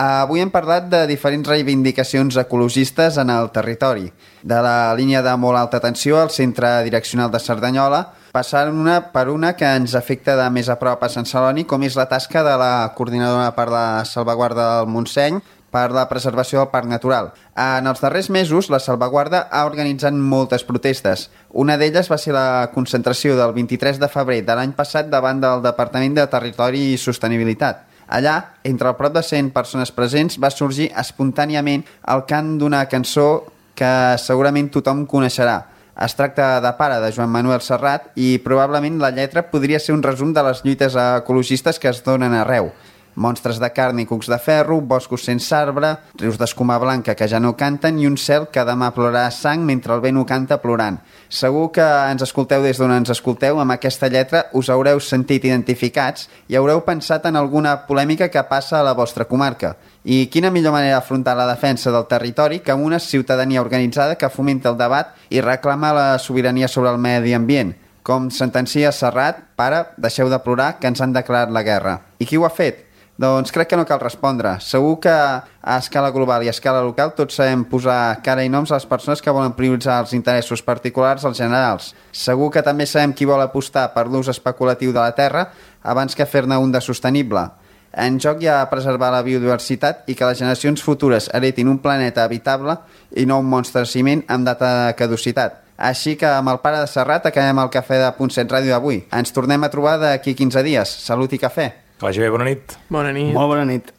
Avui hem parlat de diferents reivindicacions ecologistes en el territori. De la línia de molt alta tensió al centre direccional de Cerdanyola, passant una per una que ens afecta de més a prop a Sant Celoni, com és la tasca de la coordinadora per la salvaguarda del Montseny per la preservació del Parc Natural. En els darrers mesos, la salvaguarda ha organitzat moltes protestes. Una d'elles va ser la concentració del vint-i-tres de febrer de l'any passat davant del Departament de Territori i Sostenibilitat. Allà, entre el prop de cent persones presents, va sorgir espontàniament el cant d'una cançó que segurament tothom coneixerà. Es tracta de Pare, de Joan Manuel Serrat, i probablement la lletra podria ser un resum de les lluites ecologistes que es donen arreu. Monstres de carn i cucs de ferro, boscos sense arbre, rius d'escuma blanca que ja no canten i un cel que demà plorarà sang mentre el vent ho canta plorant. Segur que ens escolteu des d'on ens escolteu, amb aquesta lletra us haureu sentit identificats i haureu pensat en alguna polèmica que passa a la vostra comarca. I quina millor manera d'afrontar la defensa del territori que amb una ciutadania organitzada que fomenta el debat i reclama la sobirania sobre el medi ambient. Com sentencia Serrat, pare, deixeu de plorar que ens han declarat la guerra. I qui ho ha fet? Doncs crec que no cal respondre. Segur que a escala global i a escala local tots sabem posar cara i noms a les persones que volen prioritzar els interessos particulars als generals. Segur que també sabem qui vol apostar per l'ús especulatiu de la terra abans que fer-ne un de sostenible. En joc hi ha preservar la biodiversitat i que les generacions futures heretin un planeta habitable i no un monstre de ciment amb data de caducitat. Així que amb el Pare de Serrat acabem el Cafè de Punt set Ràdio d'avui. Ens tornem a trobar d'aquí quinze dies. Salut i cafè. Que vagi bé, bona nit. Bona nit. Molt bona nit.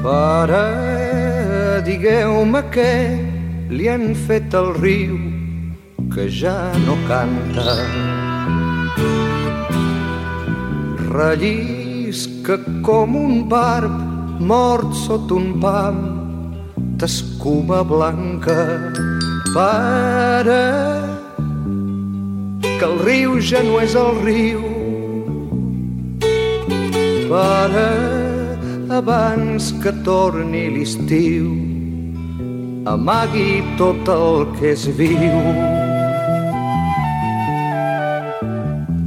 Pare, digueu-me què li han fet al riu que ja no canta. Rellisca com un barb mort sota un pam d'escuma blanca. Pare, que el riu ja no és el riu. Pare, abans que torni l'estiu, amagui tot el que és viu.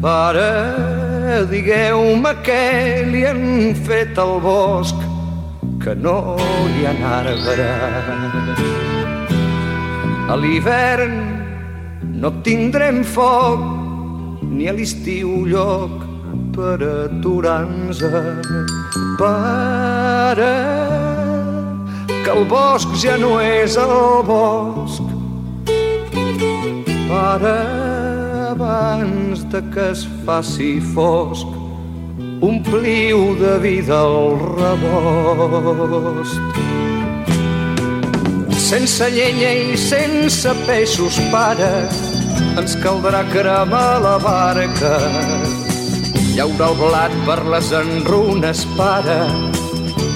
Pare, digueu-me què li han fet al bosc, que no hi ha arbre. A l'hivern no tindrem foc, ni a l'estiu lloc per aturar-nos. Pare, que el bosc ja no és el bosc. Pare, abans de que es faci fosc, ompliu de vida el rebost. Sense llenya i sense peixos, pare, ens caldrà cremar la barca. Llaura el blat per les enrunes, pare,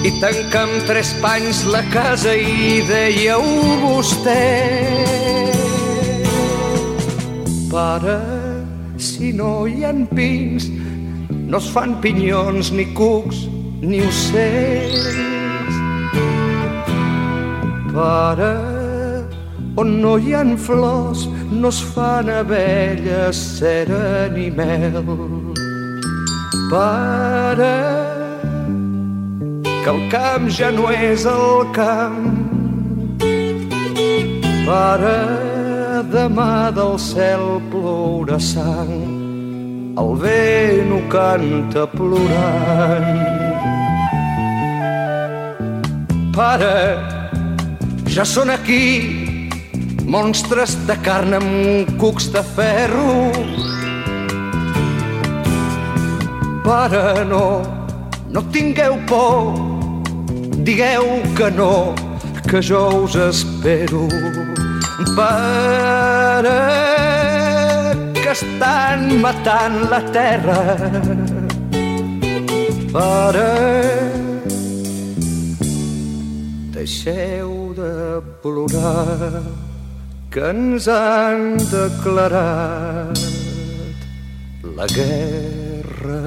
i tancar amb tres panys la casa i dèieu vostè. Pare, si no hi ha pins, no es fan pinyons, ni cucs, ni ocells. Pare, on no hi ha flors, no es fan abelles, cera ni mel. Pare, que el camp ja no és el camp. Pare, demà del cel plourà sang, el vent ho canta plorant. Pare, ja són aquí monstres de carn amb cucs de ferro. Pare, no, no tingueu por, digueu que no, que jo us espero. Pare, que estan matant la terra. Pare, deixeu de plorar, que ens han declarat la guerra.